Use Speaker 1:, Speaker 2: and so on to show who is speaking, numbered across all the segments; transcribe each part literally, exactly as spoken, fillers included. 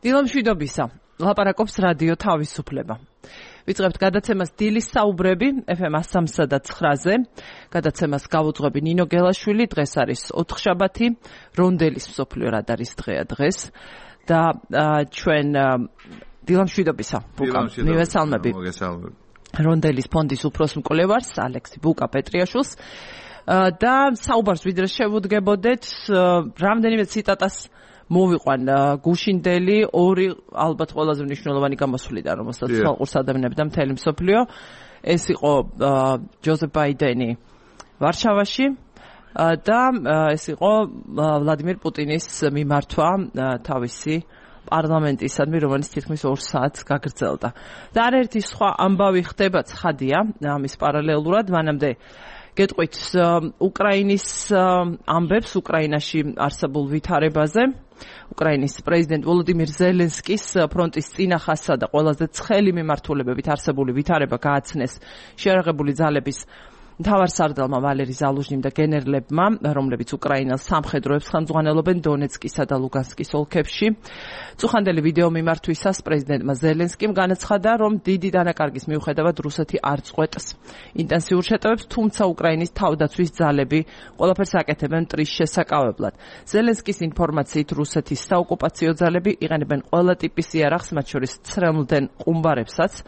Speaker 1: დილამშვიდობისა, ლაპარაკობს რადიო თავისუფლება. ვიწყებთ გადაცემას დილის საუბრები ეფ ემ სამსა და ცხრაზე. გადაცემას გავუძღვები ნინო გელაშვილი, დღეს არის ოთხშაბათი, რონდელის მსოფლიო რად არის დღეა დღეს და ჩვენ დილამშვიდობისა, ბუკა, მივესალმები. რონდელის ფონდის უფროს მკვლევარს, ალექსი ბუკა პეტრიაშვილს და საუბარს ვიდრე შევუდგებოდეთ, რამდენიმე ციტატას მოვიყვან გუშინდელი ორი ალბათ ყველაზე მნიშვნელოვანი გამოსვლიდან, რომელსაც ხალხურს ადამიანები და მთელი მსოფლიო. ეს იყო ჯოზეფ ბაიდენი ვარშავაში და ეს იყო ვლადიმერ პუტინის მიმართვა თავისი პარლამენტისადმი, რომელიც თითქმის ორ საათს გაგრძელდა. და არაერთი სხვა ამბავი ხდება ცხადია ამის პარალელურად, მანამდე გეტყვით უკრაინის ამბებს უკრაინაში არსებულ ვითარებაზე. უკრაინის პრეზიდენტ ვოლოდიმირ ზელენსკის ფრონტის წინახასა და ყველაზე ცხელი მიმართულებებით არსებული ვითარება გააცნეს შეიარაღებული ძალების მთავარსარდალმა ვალერი ზალუჟნიმ და გენერლებმა, რომლებიც უკრაინელ სამხედროებს ხელმძღვანელობენ დონეცკისა და ლუგანსკის ოლქებში. წუხანდელი ვიდეო მიმართვისას პრეზიდენტმა ზელენსკიმ განაცხადა, რომ დიდი დანაკარგის მიუხედავად რუსეთი არ წყვეტს ინტენსიურ შეტევებს, თუმცა უკრაინის თავდაცვის ძალები ყველაფერს აკეთებენ მტრის შესაკავებლად. ზელენსკის ინფორმაციით რუსეთის საოკუპაციო ძალები იყენებენ ყველა ტიპის იარაღს, მათ შორის ცრემლდენ ყუმბარებსაც.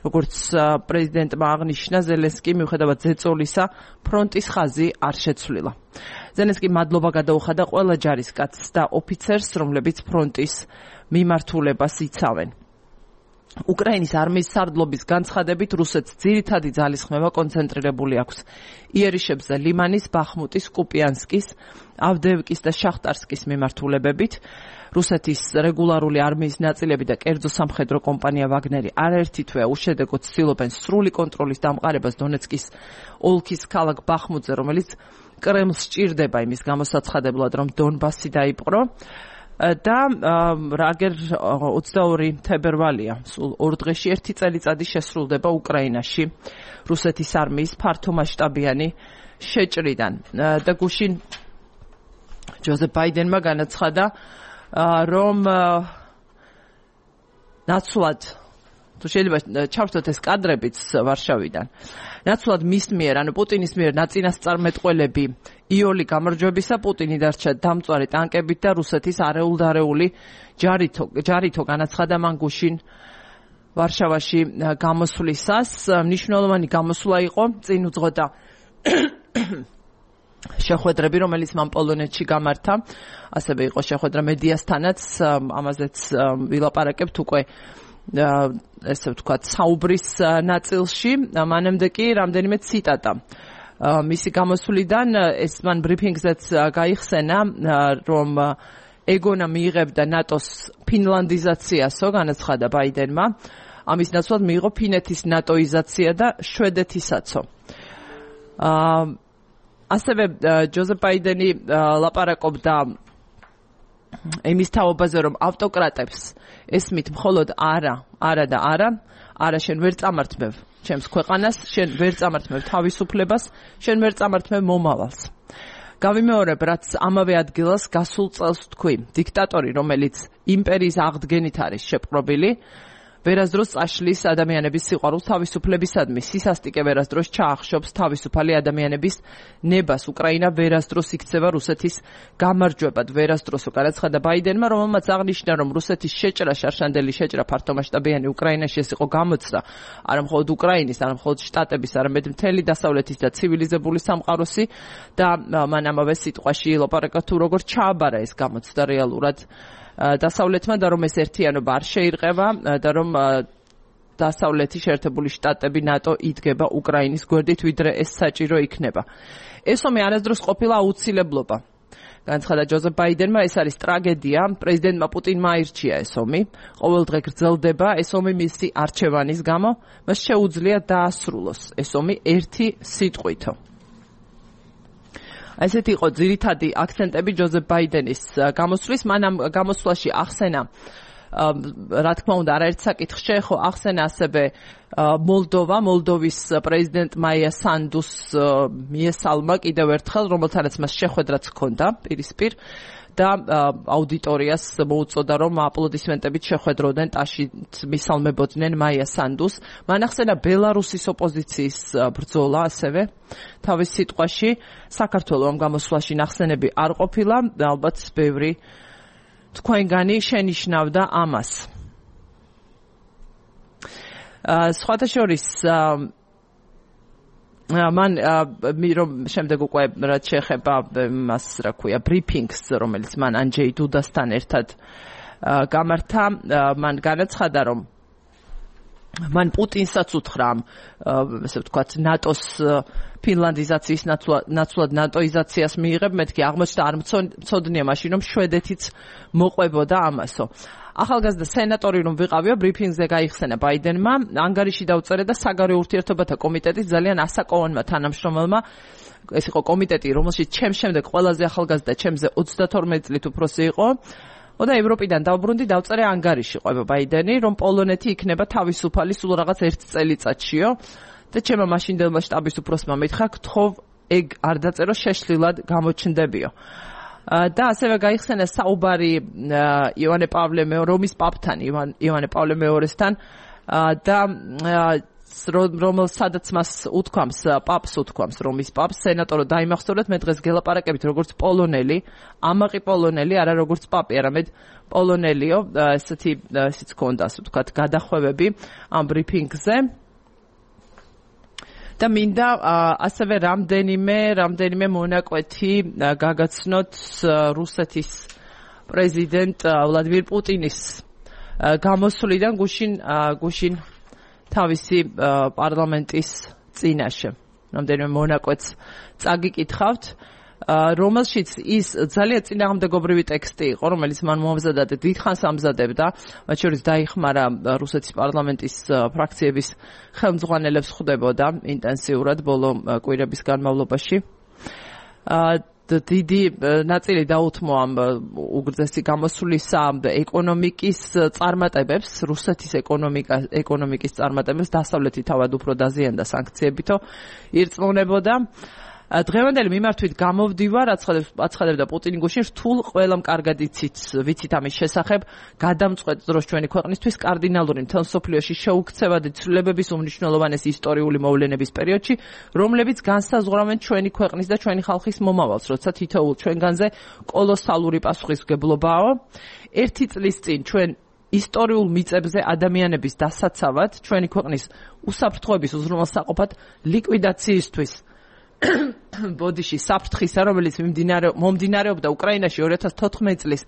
Speaker 1: როგორც პრეზიდენტმა აღნიშნა, ზელენსკი მიუხედავად ზეწოლისა ფრონტის ხაზი არ შეცვლილა. ზელენსკიმ მადლობა გადაუხადა ყველა ჯარისკაცს და ოფიცერს, რომლებიც ფრონტის მიმართულებას იცავენ. უკრაინის არმიის სარდლობის განცხადებით, რუსეთს ძირითადი ძალისხმევა კონცენტრირებული აქვს იერიშებზე ლიმანის, ბახმუტის, კუპიანსკის, ავდეევკის და შახტარსკის მიმართულებებით. რუსეთის რეგულარული არმიის ნაწილები და კერძო სამხედრო კომპანია ვაგნერი არაერთი თვეა უშედეგოდ ცდილობენ სრული კონტროლის დამყარებას დონეცკის ოლქის ქალაქ ბახმუტზე, რომელიც კრემლს სჭირდება იმის გამოსაცხადებლად, რომ დონბასი დაიპყრო. და რაგერ ოცდაორი თებერვალია, სულ ორ დღეში ერთი წელიწადი შესრულდება უკრაინაში რუსეთის არმიის ფართომასშტაბიანი შეჭრიდან. და გუშინ ჯოზეფ ბაიდენმა განაცხადა, რომ ნაცვლად, თუ შეიძლება ჩავშთოთ ეს კადრებიც ვარშავიდან, ნაცვლად მის მიერ, ანუ პუტინის მიერ ნაწინასწარმეტყველები იოლი გამარჯვებისა, პუტინი დარჩა დამწვარი ტანკებით და რუსეთის არეულ-დარეული ჯარითო, ჯარითო განაცხადა მან გუშინ ვარშავაში გამოსვლისას. მნიშვნელოვანი გამოსვლა იყო, წინ უძღვოდა შეხვედრები, რომელიც მან პოლონეთში გამართა, ასევე იყო შეხვედრა მედიასთანაც, ამაზეც ვილაპარაკებთ უკვე ესე ვთქვათ საუბრის ნაწილში. მანამდე კი რამდენიმე ციტატა მისი გამოსვლიდან, ეს მან ბრიფინგზეც გაიხსენა, რომ ეგონა მიიღებდა ნატოს ფინლანდიზაციასო, განაცხადა ბაიდენმა, ამის ნაცვლად მიიღო ფინეთის ნატოიზაცია და შვედეთისაცო. ასევე ჯოზეფ ბაიდენი ლაპარაკობდა იმის თაობაზე, რომ ავტოკრატებს ესმით მხოლოდ არა, არა და არა, არა შენ ვერ წამართმევ ჩემს ქვეყანას, შენ ვერ წამართმევ თავისუფლებას, შენ ვერ წამართმევ მომავალს. გავიმეორებ, რაც ამავე ადგილას გასულ წელს თქვი, დიქტატორი, რომელიც იმპერიის აღდგენით არის შეპყრობილი, ვერასდროს წაშლის ადამიანების სიყვარულს თავისუფლებისადმი, სისასტიკე ვერასდროს ჩაახშობს თავისუფალი ადამიანების ნებას. უკრაინა ვერასდროს იქცევა რუსეთის გამარჯვებად, ვერასდროსო განაცხადა ბაიდენმა, რომელმაც აღნიშნა, რომ რუსეთის შეჭრა, შარშანდელი შეჭრა ფართომასშტაბიანი უკრაინაში ეს იყო გამოცდა არა მხოლოდ უკრაინის, არა მხოლოდ შტატების, არამედ მთელი დასავლეთის და ცივილიზებული სამყაროსი და მან ამავე სიტყვაში ილაპარაკა თუ როგორ ჩააბარა ეს გამოცდა რეალურად დასავლეთმა და რომ ეს ერთიანობა არ შეირყევა და რომ დასავლეთი შეერთებული შტატები ნატო იდგება უკრაინის გვერდით, ვიდრე ეს საჭირო იქნება. ეს ომი არასდროს ყოფილა აუცილებლობა. განაცხადა ჯოზეფ ბაიდენმა, ეს არის ტრაგედია, პრეზიდენტმა პუტინმა აირჩია ეს ომი, ყოველდღე გრძელდება ეს ომი მისი არჩევანის გამო, მას შეუძლია დაასრულოს ეს ომი ერთი სიტყვითო. ესეთი იყო ძირითადი აქცენტები ჯოზეფ ბაიდენის გამოსვლის. მან ამ გამოსვლაში ახსენა, რა თქმა უნდა, არაერთ საკითხს შეეხო, ახსენა ასევე მოლდოვა, მოლდოვის პრეზიდენტ მაია სანდუს მიესალმა კიდევ ერთხელ, რომელთანაც მას შეხვედრაც ჰქონდა პირისპირ და აუდიტორიას მოუწოდა რომ აპლოდისმენტებით შეხვედროდნენ ტაშით მისალმებოდნენ მაია სანდუს. მან ახსენა ბელარუსის ოპოზიციის ბრძოლა ასევე თავის სიტყვაში საქართველოს ამ გამოსვლაში ნახსენები არ ყოფილა, ალბათ ბევრი თქვენგანი შენიშნავდა ამას. სხვათა შორის მან რომ შემდეგ უკვე რაც შეეხება მას რა ქვია ბრიფინგს რომელიც მან ანჯეი დუდასთან ერთად გამართა მან განაცხადა რომ მან პუტინსაც უთხრა ესე ვთქვათ ნატოს ფინლანდიზაციის ნაცვლად ნატოიზაციას მიიღებ მეთქი აღმოჩნდა არ მცოდნია მაშინ რომ შვედეთიც მოყვებოდა ამასო. ახალგაზრდა სენატორი რომ ვიყავიო ბრიფინგზე გაიხსენა ბაიდენმა ანგარიში დაუწერა და საგარეო ურთიერთობათა კომიტეტის ძალიან ასაკოვანმა თანამშრომელმა ეს იყო კომიტეტი რომელშიც ჩემს შემდეგ ყველაზე ახალგაზრდა ჩემზე ოცდათორმეტი წლით უფროსი იყო და ევროპიდან დაუბრუნდი დაუწერა ანგარიში ყვება ბაიდენი რომ პოლონეთი იქნება თავისუფალი სულ რაღაც ერთ წელიწადშიო და ჩემმა მაშინდელმა შტაბის უფროსმა მითხრა გთხოვ ეგ არ დაწერო შეშლილად გამოჩნდებიო. და ასევე გაიხსენა საუბარი ივანე პავლე მეორე რომის პაპთან ივანე პავლე მეორესთან და რომელ სადაც მას უთქვამს პაპს უთქვამს რომის პაპს სენატორო დაიმახსოვრეთ მე დღეს გელაპარაკებით როგორც პოლონელი ამაყი პოლონელი არა როგორც პაპი არამედ პოლონელიო ესეთი ისიც ქონდა ასე ვთქვათ გადახვევები ამ ბრიფინგზე და მინდა ასევე რამდენიმე რამდენიმე მონაკვეთი გაგაცნოთ რუსეთის პრეზიდენტ ვლადიმირ პუტინის გამოსვლიდან გუშინ გუშინ თავისი პარლამენტის წინაშე. რამდენიმე მონაკვეთს წაგიკითხავთ, რომელშიც ის ძალიან წინააღმდეგობრივი ტექსტი იყო, რომელიც მან მოამზადა და დიდხანს ამზადებდა, მათ შორის დაიხმარა რუსეთის პარლამენტის ფრაქციების ხელმძღვანელებს ხვდებოდა ინტენსიურად ბოლო კვირების განმავლობაში. დიდი ნაწილი დაუთმო ამ უგრძესი გამოსვლისა ეკონომიკის წარმატებებს, რუსეთის ეკონომიკა ეკონომიკის წარმატებებს დასავლეთი თავად უფრო დაზიანდა სანქციებითო ირწმუნებოდა. დღევანდელი მიმართვით გამოვდივარ, აცხადებდა პუტინი გუშინ რთულ ყველამ კარგად იცით, ვიცით ამის შესახებ, გადამწყვეტ დროს ჩვენი ქვეყნისთვის კარდინალური მთელ მსოფლიოში შეუქცევადი ცვლილებების უმნიშვნელოვანესი ისტორიული მოვლენების პერიოდში, რომლებიც განსაზღვრავენ ჩვენი ქვეყნის და ჩვენი ხალხის მომავალს, როცა თითოეულ ჩვენგანზე კოლოსალური პასუხისმგებლობაა. ერთი წლის წინ ჩვენ ისტორიულ მიწებზე ადამიანების დასაცავად, ჩვენი ქვეყნის უსაფრთხოების უზრუნველსაყოფად ლიკვიდაციისთვის ბოდიში საფრთხისა, რომელიც მომდინარეობდა უკრაინაში ორი ათას თოთხმეტი წლის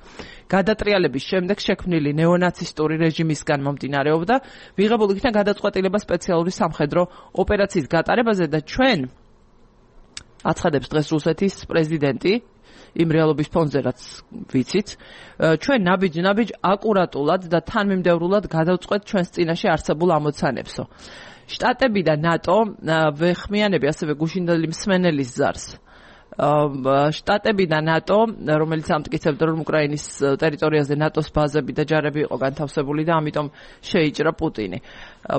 Speaker 1: გადატრიალების შემდეგ შექმნილი ნეონაცისტური რეჟიმისგან მომდინარეობდა, მიღებულ იქნა გადაწყვეტილება სპეციალური სამხედრო ოპერაციის გატარებაზე და ჩვენ აცხადებს დღეს რუსეთის პრეზიდენტი იმ რეალობის ფონზე რაც ვიცით, ჩვენ ნაბიჯ-ნაბიჯ აკურატულად და თანმიმდევრულად გადავწყვეტ ჩვენს წინაშე არსებულ ამოცანებსო. შტატები და ნატო ვეხმიანები ასევე გუშინდელი მსმენელის ზარს. შტატები და ნატო, რომელიც ამტკიცებდა რომ უკრაინის ტერიტორიაზე ნატოს ბაზები და ჯარები იყო განთავსებული და ამიტომ შეიჭრა პუტინი.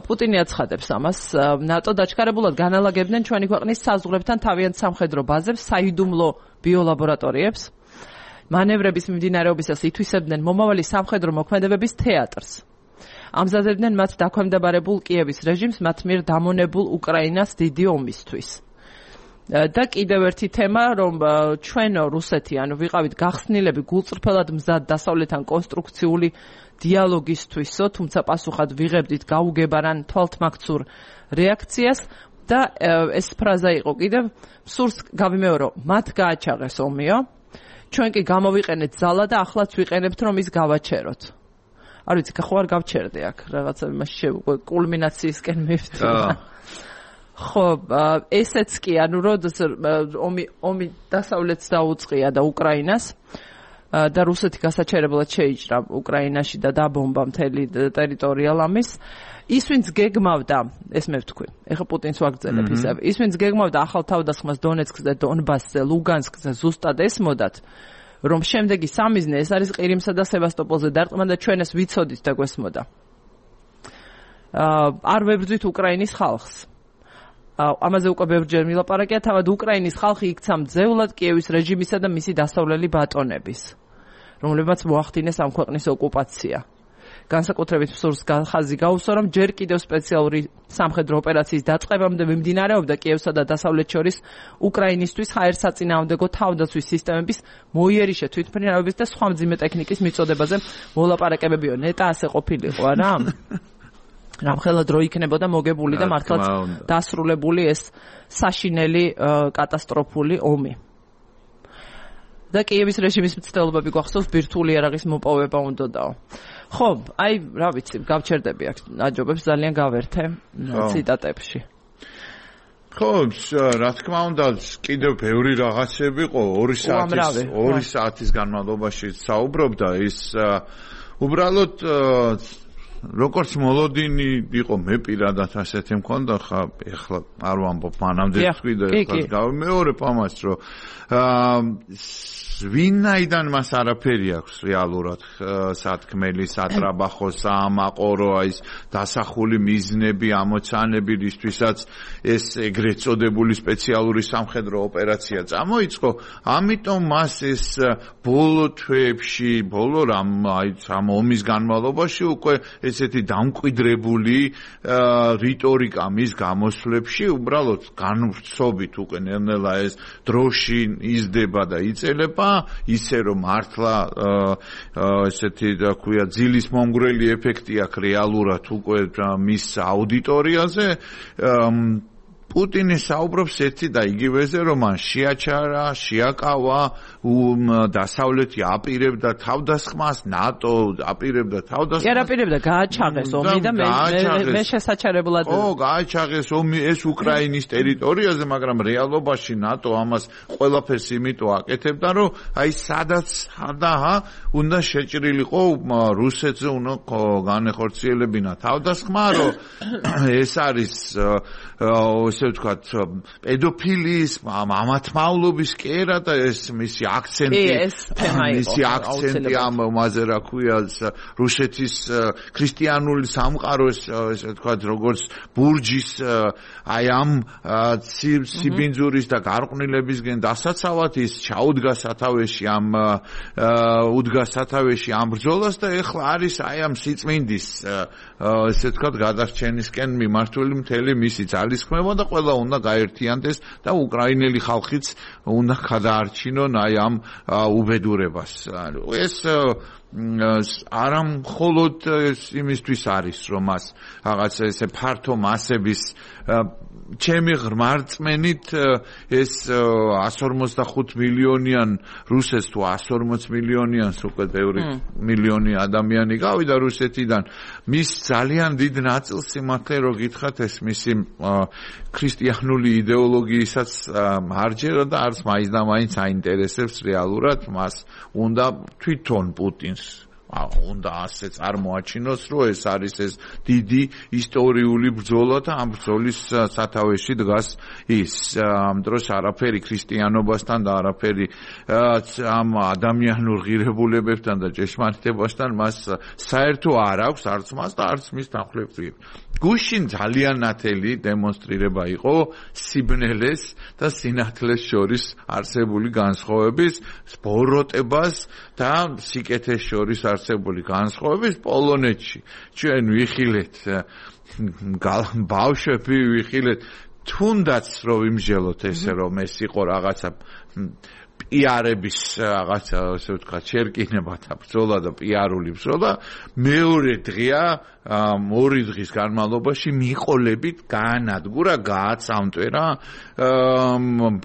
Speaker 1: პუტინი აცხადებს ამას, ნატო დაჩქარებულად განალაგებდნენ ჩვენი ქვეყნის საზღვრებთან თავიანთ სამხედრო ბაზებს, საიდუმლო ბიოლაბორატორიებს. მანევრების მიმდინარეობისას ითვისებდნენ მომავალი სამხედრო მოქმედებების თეატრს. ამზადებდნენ მათ დაქვემდებარებულ კიევის რეჟიმს მათ მიერ დამონებულ უკრაინას დიდი ომისთვის. და კიდევ ერთი თემა, რომ ჩვენო რუსეთი, ანუ ვიყავით გახსნილები გულწრფელად მზად დასავლეთთან კონსტრუქციული დიალოგისთვისო, თუმცა პასუხად ვიღებდით გაუგებარან თვალთმაქცურ რეაქციას და ეს ფრაზა იყო კიდევ სურს გავიმეორო, მათ გააჩაღეს ომიო, ჩვენ კი გამოვიყენეთ ძალა და ახლაც ვიყენებთ რომ ის გავაჩეროთ. არ ვიცი, ხო არ გავჩერდი აქ, რაღაცა იმაში კულმინაციისკენ მივდივარ. ხო, ესეც კი, ანუ როდესაც ომი ომი დასავლეთს დაუწყია და უკრაინას და რუსეთი გასაჩერებლად შეიჭრა უკრაინაში და დაბომბა მთელი ტერიტორია ლამის, ის ვინც გეგმავდა, ეს მე ვთქვი, ეხლა პუტინს ვაგრძელებ ისევ, ის ვინც გეგმავდა ახალ თავდასხმას დონეცკზე და დონბასზე, ლუგანსკზე ზუსტად ესმოდათ, რომ შემდეგი სამიზნე ეს არის ყირიმსა და სევასტოპოლზე დარტყმა და ჩვენ ეს ვიცოდით და გვესმოდა. არ ვებრძვით უკრაინის ხალხს. ამაზე უკვე ბევრჯერ მილაპარაკია, თავად უკრაინის ხალხი იქცა მძევლად კიევის რეჟიმისა და მისი დასავლელი ბატონების. რომლებმაც მოახდინეს ამ ქვეყნის ოკუპაცია. განსაკუთრებით მსურს ხაზი გაუსვა, რომ ჯერ კიდევ სპეციალური სამხედრო ოპერაციის დაწყებამდე მიმდინარეობდა კიევსა და დასავლეთ შორის უკრაინისთვის ჰაერსაწინააღმდეგო თავდაცვის სისტემების მოიერიშე თვითმფრინავების და სხვა მძიმე ტექნიკის მიწოდებაზე მოლაპარაკებებიო. ნეტა ასე ყოფილიყო, არა? რამხელა დრო იქნებოდა მოგებული და მართლაც დასრულებული ეს საშინელი კატასტროფული ომი. და კიევის რეჟიმის მცდელობები გვახსოვს ბირთვული იარაღის მოპოვება უნდადაო. ხო, აი, რა ვიცი, გავჩერდები აქ აჯობებს ძალიან გავერთე ციტატებში.
Speaker 2: ხო, რა თქმა უნდა, კიდევ ბევრი რაღაცები იყო, ორი საათის ორი საათის განმავლობაში საუბრობდა ის უბრალოდ როგორც მოლოდინი იყო მე პირადად ასეთი მქონდა ხა ეხლა არ ვამბობ მანამდე თქვი და ეხლა გავიმეორებ ამას რომ ვინაიდან მას არაფერი აქვს რეალურად სათქმელი სატრაბახო საამაყორო ის დასახული მიზნები ამოცანები რისთვისაც ეს ეგრეთ წოდებული სპეციალური სამხედრო ოპერაცია წამოიწყო ამიტომ მას ეს ბოლო თვეებში ბოლო რამ აი ამ ომის განმავლობაში უკვე ესეთი დამკვიდრებული რიტორიკა მის გამოსვლებში უბრალოდ განვრცობით უკვე ნელ-ნელა ეს დროში იზრდება და იწელება ისე რომ მართლა ესეთი რა ქვია ძილის მომგვრელი ეფექტი აქვს რეალურად უკვე მის აუდიტორიაზე პუტინი საუბრობს ერთი და იგივეზე რომ მან შეაჩარა, შეაკავა დასავლეთი აპირებდა თავდასხმას, ნატო აპირებდა თავდასხმას.
Speaker 1: კი აპირებდა გააჩაღეს ომი და მე მე შესაჩერებლად
Speaker 2: ო გააჩაღეს ომი ეს უკრაინის ტერიტორიაზე, მაგრამ რეალობაში ნატო ამას ყველაფერს იმიტომ აკეთებდა, რომ აი სადაც სადაა უნდა შეჭრილიყო რუსეთზე უნდა განეხორციელებინა თავდასხმა, რომ ეს არის ესე ვთქვათ პედოფილიის მამათმავლობის კერა და ეს მისი აქცენტი მისი აქცენტი ამ მასე რა ქვია რუსეთის ქრისტიანული სამყაროს ესე ვთქვათ როგორც ბურჯის აი ამ სიბინძურის და გარყვნილებისგან დასაცავად ის ჩაუდგა სათავეში ამ უდგა სათავეში ამ ბრძოლას და ეხლა არის აი ამ სიწმინდის ესე ვთქვათ გადარჩენისკენ მიმართული მთელი მისი ძალისხმევა და ყველა უნდა გაერთიანდეს და უკრაინელი ხალხიც უნდა გადაარჩინონ აი ამ უბედურებას. ეს არა მხოლოდ იმისთვის არის რომ მას რაღაც ესე ფართო მასების ჩემი ღრმარწმენით ეს one forty-five მილიონიან რუსეთს თუ one forty მილიონიანს უკვე ბევრი მილიონი ადამიანი გავიდა რუსეთიდან მის ძალიან დიდ ნაწილს სიმართლე რო გითხრათ ეს მისი ქრისტიანული იდეოლოგიისაც მარჯერა და არც მაინც და მაინც აინტერესებს რეალურად მას უნდა თვითონ პუტინს უნდა ასე წარმოაჩინოს რომ ეს არის ეს დიდი ისტორიული ბრძოლა და ამ ბრძოლის სათავეში დგას ის ამ დროს არაფერი ქრისტიანობასთან და არაფერი ამ ადამიანურ ღირებულებებთან და ჭეშმარიტებასთან მას საერთო არ აქვს არც მას და არც მის თანხლებს გუშინ ძალიან ნათელი დემონსტრირება იყო სიბნელეს და სინათლეს შორის არსებული განსხვავების ბოროტებას და სიკეთეს შორის არსებული განსხვავების პოლონეთში ჩვენ ვიხილეთ ბავშვები ვიხილეთ თუნდაც რომ იმჟელოთ ესე რომ ეს იყო რაღაცა პიარების რაღაცა ასე ვთქვათ შერკინება და ბრძოლა და პიარული ბრძოლა მეორე დღეა ორი დღის განმავლობაში მიყოლებით გაანადგურა გააცამტვერა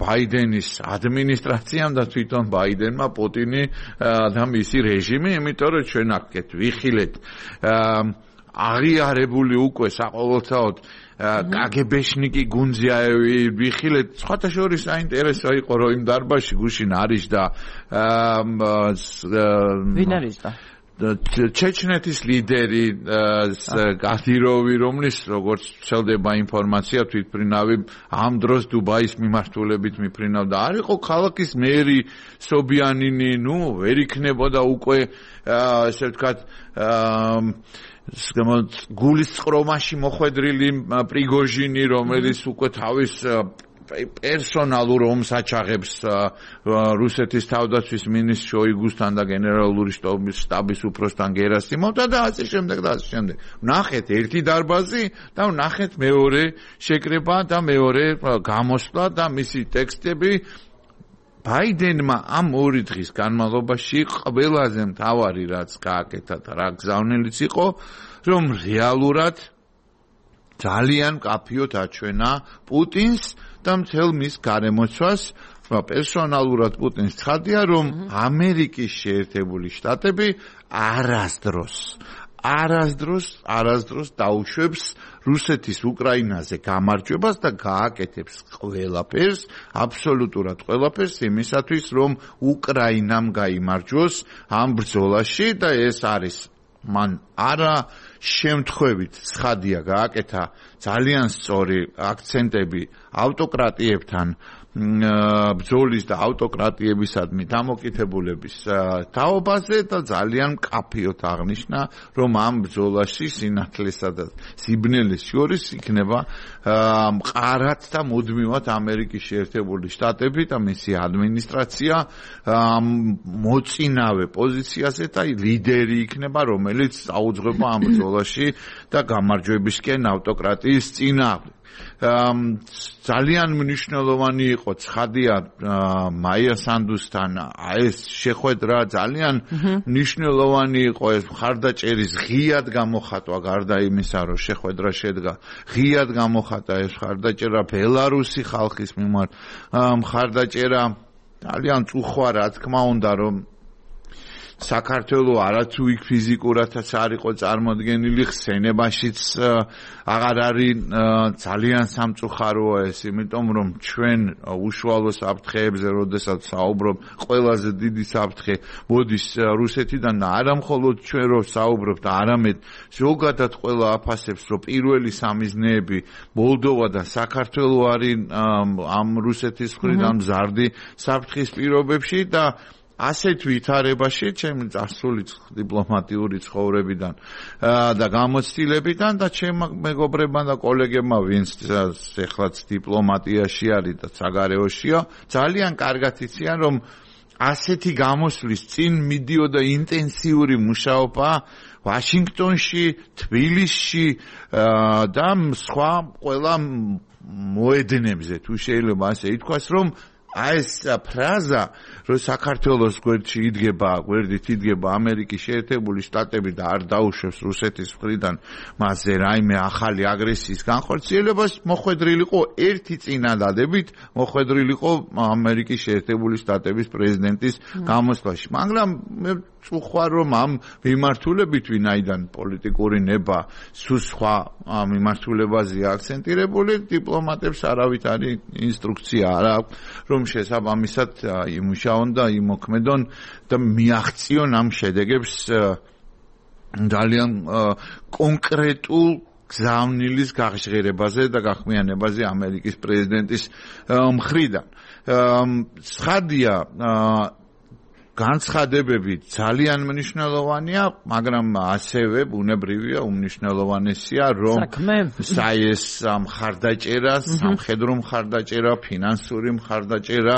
Speaker 2: ბაიდენის ადმინისტრაციამ და თვითონ ბაიდენმა პუტინი და მისი რეჟიმი იმიტომ რომ ჩვენ აქეთ ვიხილეთ აღიარებული უკვე საყოველთაოდ კაგებეშნიკი გუნძიაევი ვიხილეთ სხვათა შორის საინტერესო იყო რომ იმ დარბაზში გუშინ არის და
Speaker 1: ვინ არის და
Speaker 2: ჩეჩნეთის ლიდერი კადიროვი რომლის როგორც ცელდება ინფორმაცია თვითმფრინავი ამ დროს დუბაის მიმართულებით მიფრინავდა არ იყო ქალაქის მერი სობიანინი ნუ ვერ იქნებოდა უკვე ესე ვთქვათ გულის წყრომაში მოხვედრილი პრიგოჟინი რომელიც უკვე თავის პერსონალურ ომს აჩაღებს რუსეთის თავდაცვის მინისტრ შოიგუსთან და გენერალური შტაბის უფროსთან გერასიმოვთან და ასე შემდეგ და ასე შემდეგ. ნახეთ ერთი დარბაზი და ნახეთ მეორე შეკრება და მეორე გამოსვლა და მისი ტექსტები ბაიდენმა ამ ორი დღის განმავლობაში ყველაზე მთავარი რაც გააკეთა და რა გზავნილიც იყო, რომ რეალურად ძალიან მკაფიოდ აჩვენა პუტინს და მთელ მის გარემოცვას, პერსონალურად პუტინს ცხადია, რომ ამერიკის შეერთებული შტატები არასდროს არასდროს არასდროს დაუშვებს რუსეთის უკრაინაზე გამარჯვებას და გააკეთებს ყველაფერს, აბსოლუტურად ყველაფერს იმისათვის, რომ უკრაინამ გაიმარჯვოს ამ ბრძოლაში და ეს არის მან არა შემთხვევით ცხადია გააკეთა ძალიან სწორი აქცენტები ავტოკრატიებთან ბრძოლის და ავტოკრატიებისადმი დამოკიდებულების თაობაზე და ძალიან მკაფიოდ აღნიშნა, რომ ამ ბრძოლაში სინათლესა და სიბნელეს შორის იქნება მყარად და მუდმივად ამერიკის შეერთებული შტატები და მისი ადმინისტრაცია მოწინავე პოზიციაზე და ლიდერი იქნება, რომელიც აუძღვება ამ ბრძოლაში და გამარჯვებისკენ ავტოკრატიის წინააღმდეგ. ძალიან მნიშვნელოვანი იყო ცხადია მაია სანდუსთან ეს შეხვედრა ძალიან მნიშვნელოვანი იყო ეს მხარდაჭერის ღიად გამოხატვა გარდა იმისა რომ შეხვედრა შედგა ღიად გამოხატა ეს მხარდაჭერა ბელარუსი ხალხის მიმართ მხარდაჭერა ძალიან წუხვა რა თქმა უნდა რომ საქართველო არათუ იქ ფიზიკურადაც არ იყო წარმოდგენილი ხსენებაშიც აღარ არის ძალიან სამწუხაროა ეს იმიტომ რომ ჩვენ უშუალო საფრთხეებზე როდესაც საუბრობ ყველაზე დიდი საფრთხე მოდის რუსეთიდან და არა მხოლოდ ჩვენ რო საუბრობთ არამედ ზოგადად ყველა აფასებს რომ პირველი სამიზნეები მოლდოვა და საქართველო არის ამ რუსეთის მხრიდან მზარდი საფრთხის პირობებში და ასეთ ვითარებაში ჩემი წარსული დიპლომატიური ცხოვრებიდან და გამოცდილებიდან და ჩემ მეგობრებმა და კოლეგებმა ვინც ეხლაც დიპლომატიაში არის და საგარეოშია ძალიან კარგად იციან რომ ასეთი გამოსვლის წინ მიდიოდა ინტენსიური მუშაობა ვაშინგტონში, თბილისში და სხვა ყველა მოედნებზე თუ შეიძლება ასე ითქვას რომ აი ეს ფრაზა რომ საქართველოს გვერდში იდგება, გვერდით იდგება ამერიკის შეერთებული შტატები და არ დაუშვებს რუსეთის მხრიდან მასზე რაიმე ახალი აგრესიის განხორციელებას, მოხვედრილიყო ერთი წინადადებით, მოხვედრილიყო ამერიკის შეერთებული შტატების პრეზიდენტის გამოსვლაში. მაგრამ მე წუხვა რომ ამ მიმართულებით ვინაიდან პოლიტიკური ნება სულ სხვა მიმართულებაზე აქცენტირებული დიპლომატებს არავით არის ინსტრუქცია არა რომ შესაბამისად იმუშაონ და იმოქმედონ და მიაღწიონ ამ შედეგებს ძალიან კონკრეტულ გზავნილის გაღჟღერებაზე და გახმიანებაზე ამერიკის პრეზიდენტის მხრიდან. ცხადია განცხადებები ძალიან მნიშვნელოვანია, მაგრამ ასევე ბუნებრივია უმნიშვნელოვანესია, რომ საეს მხარდაჭერა, სამხედრო მხარდაჭერა, ფინანსური მხარდაჭერა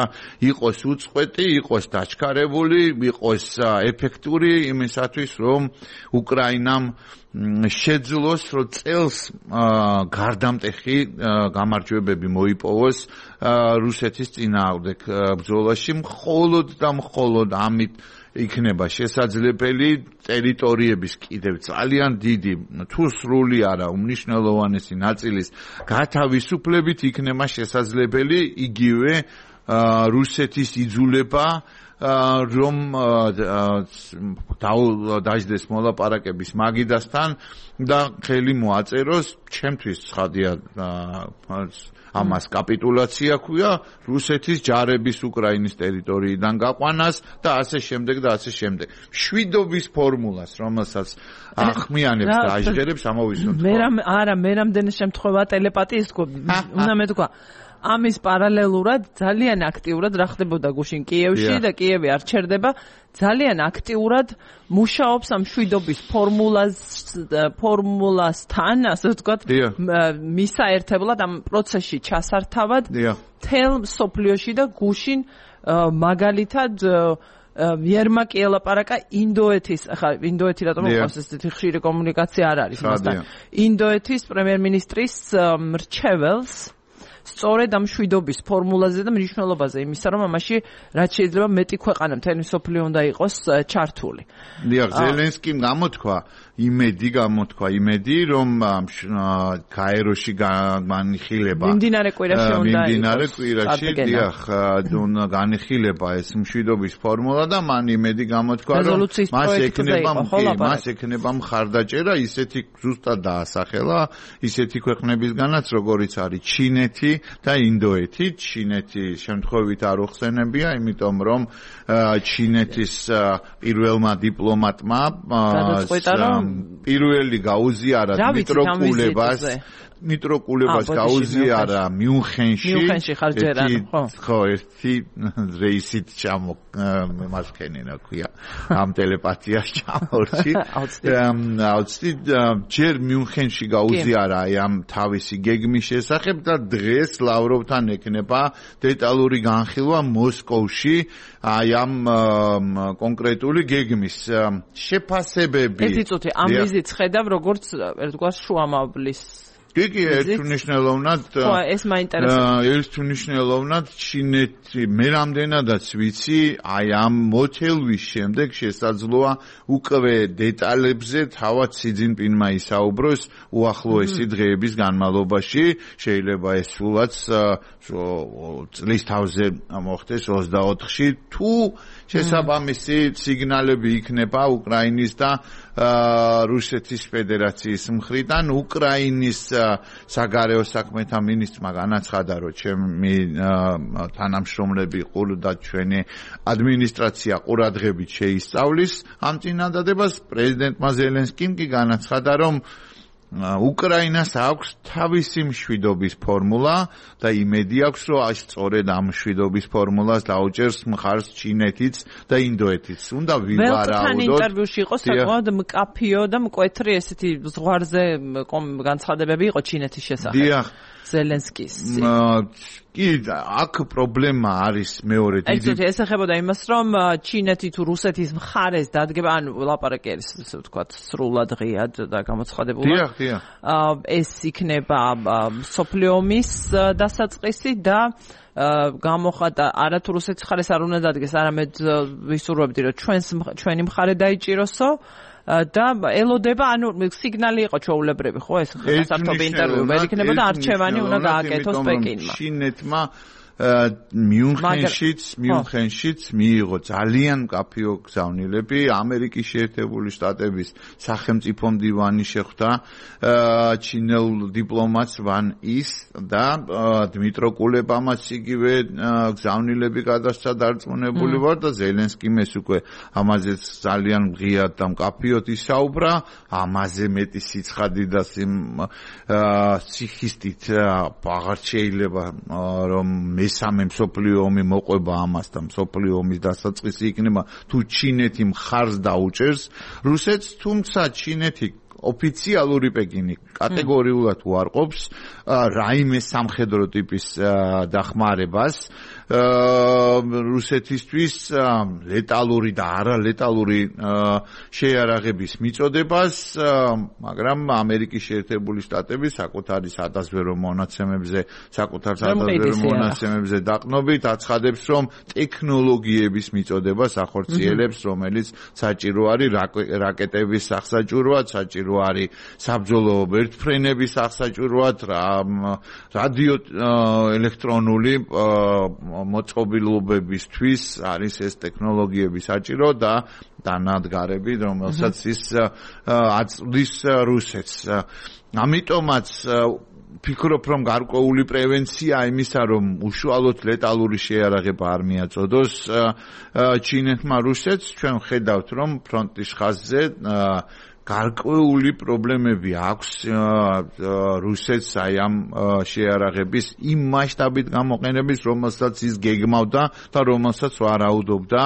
Speaker 2: იყოს უწყვეტი, იყოს დაჩქარებული, იყოს ეფექტური იმისათვის, რომ უკრაინამ შეძლოს რომ წელს გარდამტეხი გამარჯვებები მოიპოვოს რუსეთის წინააღმდეგ ბრძოლაში მხოლოდ და მხოლოდ ამით იქნება შესაძლებელი ტერიტორიების კიდევ ძალიან დიდი თუ სრული არა უმნიშვნელოვანესი ნაწილის გათავისუფლებით იქნება შესაძლებელი იგივე რუსეთის იძულება რომ დაждდეს მოლაპარაკების მაგიდასთან და ხელი მოაწეროს ჩემთვის ცხადია ამას კაპიტულაცია ქვია რუსეთის ჯარების უკრაინის ტერიტორიიდან გაყვანას და ასე შემდეგ და ასე შემდეგ შვიდობის ფორმულას რომელსაც ახმიანებს და აჟღერებს ამოვისუნთ
Speaker 1: მე არა მე რამდენი შემთხვევა ტელეპათიის უნდა მეთქვა ამის პარალელურად ძალიან აქტიურად რა ხდებოდა გუშინ კიევში და კიევი არ ჩერდება ძალიან აქტიურად მუშაობს ამ მშვიდობის ფორმულას ფორმულასთან, ასე ვთქვათ, მისაერთებლად ამ პროცესში ჩასართავად თელ სოფლიოში და გუშინ მაგალითად ვერმაკი ელაპარაკა ინდოეთის, ახლა ინდოეთი რატომ მოყავს ესეთი ხშირი კომუნიკაცია არ არის მასთან. ინდოეთის პრემიერ-მინისტრის მრჩეველს სწორედ ამ მშვიდობის ფორმულაზე და მნიშვნელობაზე იმისა, რომ ამაში რაც შეიძლება მეტი ქვეყანა მთელი სოფლიო უნდა იყოს ჩართული.
Speaker 2: დიახ, ზელენსკიმ გამოთქვა იმედი გამოთქვა იმედი რომ გაეროში განიხილება
Speaker 1: მიმდინარე კვირაში უნდა იყოს
Speaker 2: მიმდინარე კვირაში დიახ განიხილება ეს მშვიდობის ფორმულა და მან იმედი გამოთქვა რომ მას ექნება მას ექნება მხარდაჭერა ისეთი ზუსტად დაასახელა ისეთი ქვეყნებისგანაც როგორიც არის ჩინეთი და ინდოეთი. ჩინეთი შემთხვევით არ უხსენებია, იმიტომ რომ ჩინეთის პირველმა დიპლომატმა პირველი გაუზიარა მიტროკულებას მიტროკულებას გაუზიარა მიუნხენში ხო ერთი რეისით ჩამო მასქენინა ქვია ამ ტელეპათიას ჩამორჩი აუცი ჯერ მიუნხენში გაუზიარა ამ თავისი გეგმის შესახებ და დღეს ლავროვთან ექნება დეტალური განხილვა მოსკოვში აი ამ კონკრეტული გეგმის შეფასებები
Speaker 1: ერთი წუთი ამ ვიზიტს ხედავ როგორც ერთგვარ შუამავლის
Speaker 2: კი, ერთუნიშნელოვნად
Speaker 1: ეს მაინტერესებს.
Speaker 2: ერთუნიშნელოვნად ჩინეთი მე რამდენადაც ვიცი, აი ამ მოთელვის შემდეგ შესაძლოა უკვე დეტალებზე თავად სი ძინპინმა ისაუბროს უახლოესი დღეების განმავლობაში, შეიძლება ეს სულაც წლის თავზე მოხდეს ოცდაოთხში თუ შესაბამისი სიგნალები იქნება უკრაინის და რუსეთის ფედერაციის მხრიდან უკრაინის საგარეო საქმეთა მინისტრმა განაცხადა, რომ ჩემი თანამშრომლები ყურდა ჩვენი ადმინისტრაცია ყურადღებით შეისწავლის ამ წინადადებას. პრეზიდენტმა ზელენსკიმ კი განაცხადა, რომ უკრაინას აქვს თავისი მშვიდობის ფორმულა და იმედი აქვს, რომ აი სწორედ ამ მშვიდობის ფორმულას დაუჭერს მხარს ჩინეთიც და ინდოეთიც. უნდა ვივარაუდოთ.
Speaker 1: ველთან ინტერვიუში იყო საკმაოდ მკაფიო და მკვეთრი ესეთი ზღვარზე განცხადებები იყო ჩინეთის შესახებ.
Speaker 2: დიახ.
Speaker 1: ზელენსკის.
Speaker 2: კი, აქ პრობლემა არის მეორე დიდი.
Speaker 1: ეს ეხებოდა იმას, რომ ჩინეთი თუ რუსეთის მხარეს დადგება, ანუ ლაპარაკი არის, ასე ვთქვათ, სრულად ღიად და გამოცხადებული.
Speaker 2: დიახ, დიახ.
Speaker 1: ეს იქნება მსოფლიო ომის დასაწყისი და გამოხატა არა თუ რუსეთის მხარეს არ უნდა დადგეს, არამედ ვისურვებდი, რომ ჩვენს ჩვენი მხარე დაიჭიროსო. და ელოდება, ანუ სიგნალი იყო ჩვეულებრივი, ხო ეს სასამართლო ინტერვიუ ვერ იქნება და არჩევანი უნდა გააკეთოს პეკინმა.
Speaker 2: ჩინეთმა მიუნხენშიც მიუნხენშიც მიიღო ძალიან მკაფიო გზავნილები. ამერიკის შეერთებული შტატების სახელმწიფო მდივანი შეხვდა ჩინელ დიპლომატს ვან ის და დმიტრო კულებამაც იგივე გზავნილები გადასცა დარწმუნებული ვარ და ზელენსკიმ ეს უკვე ამაზეც ძალიან ღიად და მკაფიოდ ისაუბრა. ამაზე მეტი სიცხადი და სიხისტით აღარ შეიძლება რომ მესამე მსოფლიო ომი მოყვება ამას და მსოფლიო ომის დასაწყისი იქნება თუ ჩინეთი მხარს დაუჭერს რუსეთს, თუმცა ჩინეთი ოფიციალური პეკინი კატეგორიულად უარყოფს რაიმე სამხედრო ტიპის დახმარებას რუსეთისთვის ლეტალური და არალეტალური შეიარაღების მიწოდებას, მაგრამ ამერიკის შეერთებული შტატები საკუთარი სადაზვერო მონაცემებზე, საკუთარ სადაზვერო მონაცემებზე დაყნობით აცხადებს, რომ ტექნოლოგიების მიწოდებას ახორციელებს, რომელიც საჭირო არის რაკეტების სახსაჭურვად, საჭირო არის საბრძოლო ვერტმფრენების სახსაჭურვად, რადიო ელექტრონული მოწყობილობებისთვის არის ეს ტექნოლოგიები საჭირო და დანადგარები, რომელსაც ის აწვდის რუსეთს. ამიტომაც ფიქრობ, რომ გარკვეული პრევენცია იმისა, რომ უშუალოდ ლეტალური შეიარაღება არ მიაწოდოს ჩინეთმა რუსეთს, ჩვენ ხედავთ, რომ ფრონტის ხაზზე გარკვეული პრობლემები აქვს რუსეთს აი ამ შეიარაღების იმ მასშტაბით გამოყენების, რომელსაც ის გეგმავდა და რომელსაც ვარაუდობდა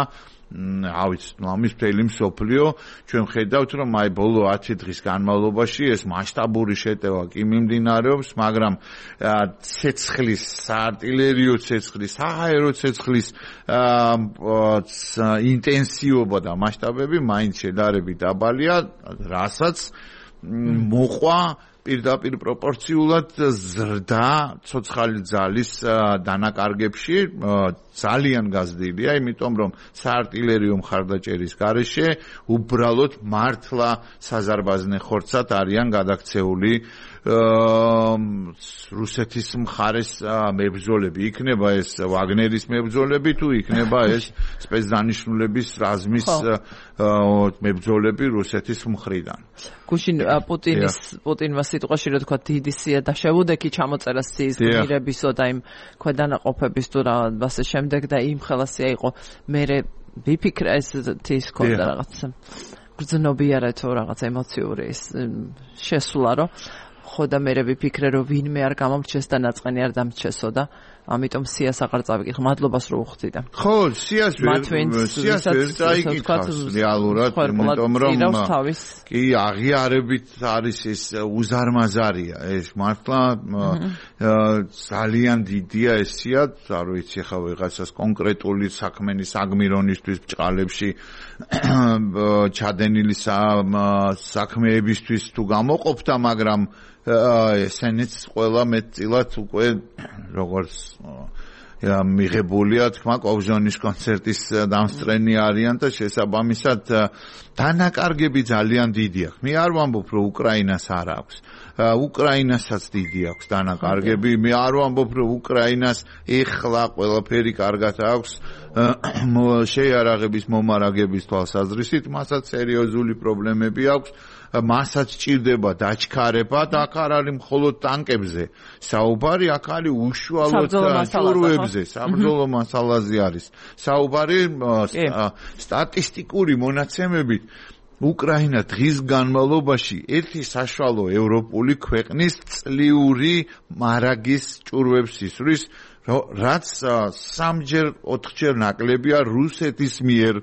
Speaker 2: ავიც ამის მთელი მსოფლიო ჩვენ ხედავთ რომ აი ბოლო ათი დღის განმავლობაში ეს მასშტაბური შეტევა კი მიმდინარეობს, მაგრამ ცეცხლის, საარტილერიო ცეცხლის, სააერო ცეცხლის ინტენსივობა და მასშტაბები მაინც შედარებით დაბალია, რასაც მოყვა პირდაპირ პროპორციულად ზრდა ცოცხალი ძალის დანაკარგებში ძალიან გაზრდილია, იმიტომ რომ საარტილერიო მხარდაჭერის გარეშე უბრალოდ მართლა საზარბაზნე ხორცად არიან გადაქცეული რუსეთის მხარეს მებრძოლები. იქნება ეს ვაგნერის მებრძოლები თუ იქნება ეს სპეცდანიშნულების რაზმის მებრძოლები რუსეთის მხრიდან.
Speaker 1: გუშინ პუტინის პუტინმა სიტყვაში რა თქვა დიდი სია და შეუდექი ჩამოწერა სიის გმირებისო და იმ ქვედანაყოფების თუ რაღაცა შემდეგ და იმ ხელასია იყო მე ვიფიქრა ეს ის ქონდა რაღაცა გრძნობიარა თუ რაღაც ემოციური ის შესულა რომ ხო და მე ვიფიქრე რომ ვინმე არ გამომრჩეს და ნაწყენი არ დამრჩესო და ამიტომ სიას აღარ წავიკითხე. მადლობას რო უხდიდა.
Speaker 2: ხო, სიას ვერ სიას ვერ წაიკითხავს რეალურად, იმიტომ რომ კი აღიარებით არის ეს უზარმაზარია, ეს მართლა ძალიან დიდია ეს სია, არ ვიცი ხა ვიღაცას კონკრეტული საქმენის აგმირონისთვის ბჭყალებში ჩადენილი საქმეებისთვის თუ გამოყოფდა, მაგრამ ესენიც ყველა მეტწილად უკვე როგორც მიღებულია თქმა კოვჟონის კონცერტის დამსწრენი არიან და შესაბამისად დანაკარგები ძალიან დიდი აქვს. მე არ ვამბობ რომ უკრაინას არ აქვს. უკრაინასაც დიდი აქვს დანაკარგები. მე არ ვამბობ რომ უკრაინას ეხლა ყველაფერი კარგად აქვს შეიარაღების მომარაგების თვალსაზრისით, მასაც სერიოზული პრობლემები აქვს. მასაც ჭირდება დაჩქარება და აქ არ არის მხოლოდ ტანკებზე საუბარი, აქ არის უშუალოდ ჭურვებზე, საბრძოლო მასალაზე არის საუბარი. სტატისტიკური მონაცემებით უკრაინა დღის განმავლობაში ერთი საშუალო ევროპული ქვეყნის წლიური მარაგის ჭურვებს ისვრის, რაც სამჯერ ოთხჯერ ნაკლებია რუსეთის მიერ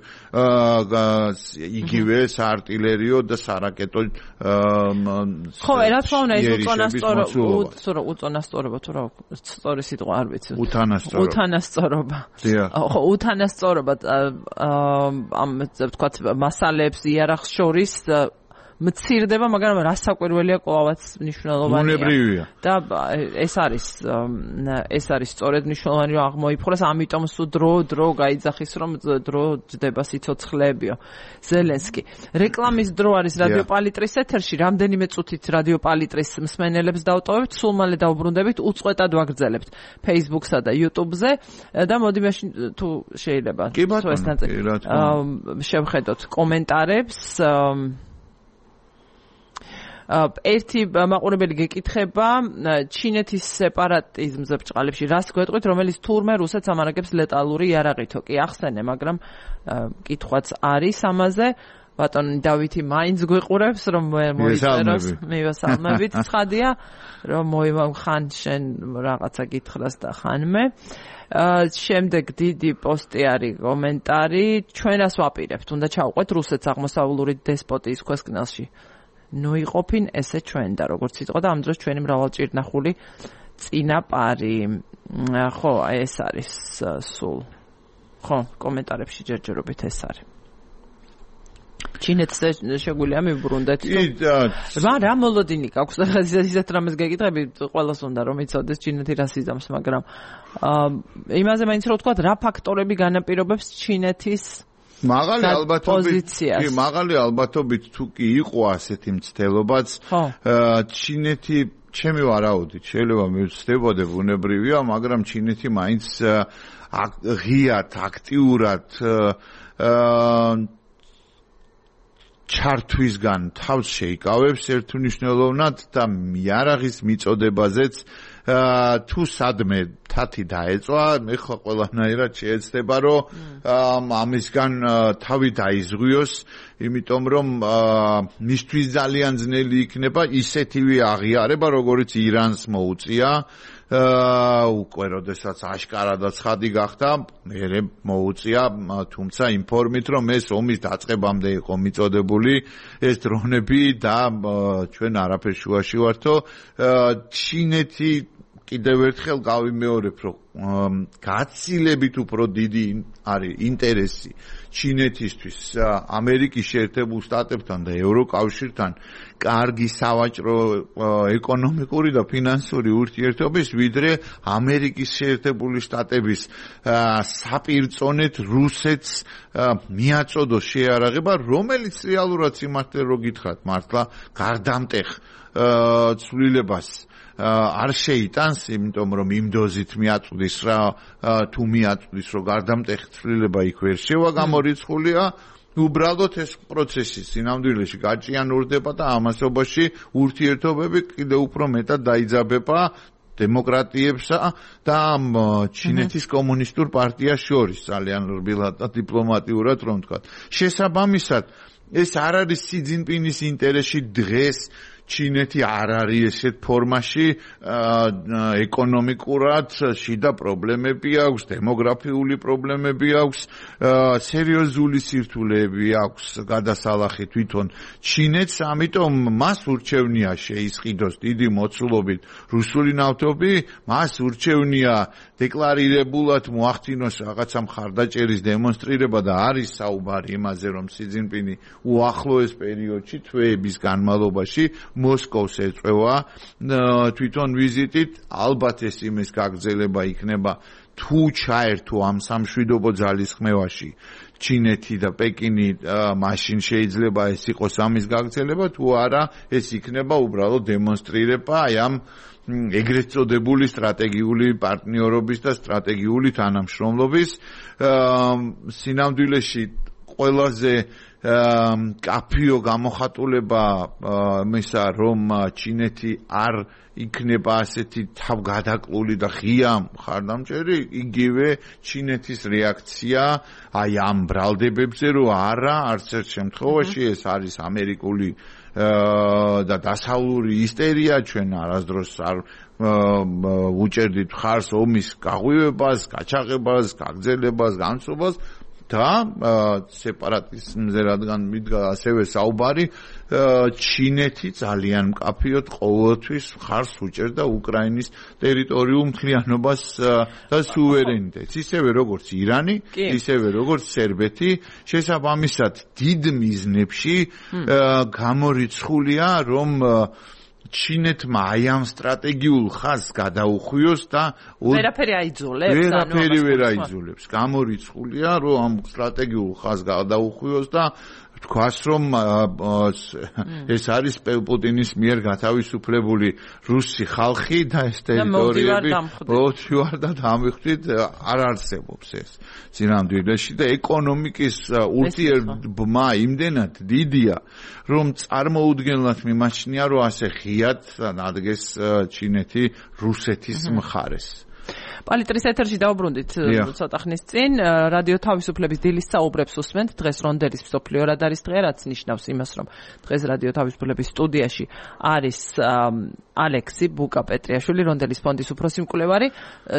Speaker 2: იგივე საარტილერიო და სარაკეტო
Speaker 1: ხო, რა თქმა უნდა ეს უწონასწორობა უწონასწორობა თუ რა სწორი სიტყვა არ ვიცი
Speaker 2: უთანასწორობა
Speaker 1: უთანასწორობა ხო უთანასწორობა ამ ვთქვათ მასალებს იარაღს შორის მცირდება, მაგრამ რასაკვირველია კლავაც მნიშვნელოვანია.
Speaker 2: უნებრივია.
Speaker 1: და ეს არის ეს არის სწორედ მნიშვნელოვანი რომ აღმოიფხვრას, ამიტომ სულ დრო დრო გაიძახის რომ დრო ჯდება სიცოცხლეებიო. ზელენსკი. რეკლამის დრო არის რადიო პალიტრის ეთერში, რამდენიმე წუთით რადიო პალიტრის მსმენელებს დავტოვებთ, სულ მალე დავბრუნდებით, უწყვეტად ვაგრძელებთ Facebook-სა და YouTube-ზე და მოდი მაშინ თუ შეიძლება
Speaker 2: თუ ეს
Speaker 1: შევხედოთ კომენტარებს. ერთი მაყურებელი გეკითხება ჩინეთის სეპარატიზმზე ბჭყალებში რას გვეტყვით, რომელიც თურმე რუსეთს ამარაგებს ლეტალური იარაღითო კი ახსენე, მაგრამ კითხვაც არის ამაზე. ბატონი დავითი მაინც გვიყურებს რომ მოიწეროს მივესალმებით ცხადია რომ მოიმხან შენ რაღაცა გითხრას და ხანმე. შემდეგ დიდი პოსტი არის კომენტარი, ჩვენას ვაპირებთ, უნდა ჩავყვეთ რუსეთს აღმოსავლური დესპოტიის ქვესკნელში. ნუ იყოფინ ესე ჩვენ და როგორც იტყვა და ამ დროს ჩვენი მრავალჭირნახული წინაპარი. ხო, ეს არის სულ. ხო, კომენტარებში ჯერჯერობით ეს არის. ჩინეთს შეგვიძლია მივბრუნდეთ. რა რა მოლოდინი გაქვს და ისეთ რამეს გეკითხები, ყველას უნდა რომ იცოდეს ჩინეთი რას იზამს, მაგრამ იმაზე მაინც რო ვთქვა, რა ფაქტორები განაპირობებს ჩინეთის
Speaker 2: მაღალი ალბათობით კი მაღალი ალბათობით თუ კი იყო ასეთი მცდელობაც ჩინეთი ჩემი ვარაუდით შეიძლება მივცდებოდე ბუნებრივია, მაგრამ ჩინეთი მაინც ღიად აქტიურად ჩართვისგან თავს შეიკავებს ერთუნიშნელოვნად და იარაღის მიწოდებაზეც თუ სადმე თათი დაეწვა, მე ხო ყველანაირად შეეცდება რომ ამისგან თავი დაიზღვიოს, იმიტომ რომ მისთვის ძალიან ძნელი იქნება ისეთივე აღიარება, როგორც ირანს მოუწია უკვე როდესაც აშკარად ცხადი გახდა, მერე მოუწია, თუმცა იმ ფორმით, რომ ეს ომის დაწყებამდე იყო მიწოდებული ეს დრონები და ჩვენ არაფერ შუაში ვართო. ჩინეთი კიდევ ერთხელ გავიმეორებ, რომ გაცილებით უფრო დიდი არის ინტერესი ჩინეთისთვის ამერიკის შეერთებულ შტატებთან და ევროკავშირთან კარგი სავაჭრო ეკონომიკური და ფინანსური ურთიერთობის, ვიდრე ამერიკის შეერთებული შტატების საპირწონეთ რუსეთს მიაწოდოს შეარაღება, რომელიც რეალურად სიმართლე რო გითხრათ, მართლა გარდამტეხ ცვლილებას არ შეიტანს, იმიტომ რომ იმ დოზით მიაწვდის რა, თუ მიაწვდის, რომ გარდამტეხი ცვლილება იქ ვერ შევა გამორიცხულია, უბრალოდ ეს პროცესი სინამდვილეში გაჭიანურდება და ამასობაში ურთიერთობები კიდევ უფრო მეტად დაიძაბება დემოკრატიებსა და ჩინეთის კომუნისტურ პარტიას შორის, ძალიან რბილად და დიპლომატიურად რომ ვთქვა. შესაბამისად, ეს არ არის სი ძინპინის ინტერესში დღეს ჩინეთი არ არის ესეთ ფორმაში, ეკონომიკურად შიდა პრობლემები აქვს, დემოგრაფიული პრობლემები აქვს, სერიოზული სირთულეები აქვს გადასალახი თვითონ ჩინეთს, ამიტომ მას ურჩევნია შეისყიდოს დიდი მოცულობით რუსული ნავთობი, მას ურჩევნია დეკლარირებულად მოახდინოს რაღაცა მხარდაჭერის დემონსტრირება და არის საუბარი იმაზე, რომ სი ძინპინი უახლოეს პერიოდში, თვეების განმავლობაში მოსკოვს ეწევა თვითონ ვიზიტით, ალბათ ეს იმის გაგრძელება იქნება, თუ ჩაერთო ამ სამშვიდობო ძალისხმევაში ჩინეთი და პეკინი, მაშინ შეიძლება ეს იყოს ამის გაგრძელება, თუ არა ეს იქნება უბრალოდ დემონსტრირება აი ამ ეგრეთ წოდებული სტრატეგიული პარტნიორობის და სტრატეგიული თანამშრომლობის. სინამდვილეში ყველაზე კაფიო გამოხატულება მისა, რომ ჩინეთი არ იქნება ასეთი თავგადაკლული და ღია მხარდამჭერი, იგივე ჩინეთის რეაქცია აი ამ ბრალდებებზე, რომ არა, არც ერთ შემთხვევაში ეს არის ამერიკული და დასავლური ისტერია, ჩვენ არასდროს არ უჭერდით მხარს ომის გაღვივებას, გაჩაღებას, გაგრძელებას, განცობას და სეპარატიზმზე რადგან მიდგა ასევე საუბარი, ჩინეთი ძალიან მკაფიოდ ყოველთვის მხარს უჭერდა უკრაინის ტერიტორიულ მთლიანობას და სუვერენიტეტს, ისევე როგორც ირანი, ისევე როგორც სერბეთი. შესაბამისად, დიდ მიზნებში გამორიცხულია, რომ ჩინეთმა აი ამ სტრატეგიულ ხაზს გადაუხვიოს და
Speaker 1: ვერაფერი აიძულებს,
Speaker 2: ვერაფერი ვერ აიძულებს. გამორიცხულია, რომ ამ სტრატეგიულ ხაზს გადაუხვიოს და თქვას, რომ ეს არის პუტინის მიერ გათავისუფლებული რუსი ხალხი და ეს ტერიტორიები მოვთივარ და დამიხვდით, არ არსებობს ეს სინამდვილეში და ეკონომიკის ურთიერთობა იმდენად დიდია, რომ წარმოუდგენლად მიმაჩნია, რომ ასე ღიად დადგეს ჩინეთი რუსეთის მხარეს.
Speaker 1: პალიტრის ეთერში დავბრუნდით ცოტა ხნის წინ, რადიო თავისუფლების დილის საუბრებს უსმენთ. დღეს რონდელის მსოფლიო რადარის დღე, რაც ნიშნავს იმას, რომ დღეს რადიო თავისუფლების სტუდიაში არის ალექსი ბუკა-პეტრიაშვილი, რონდელის ფონდის უფროსი მკვლევარი.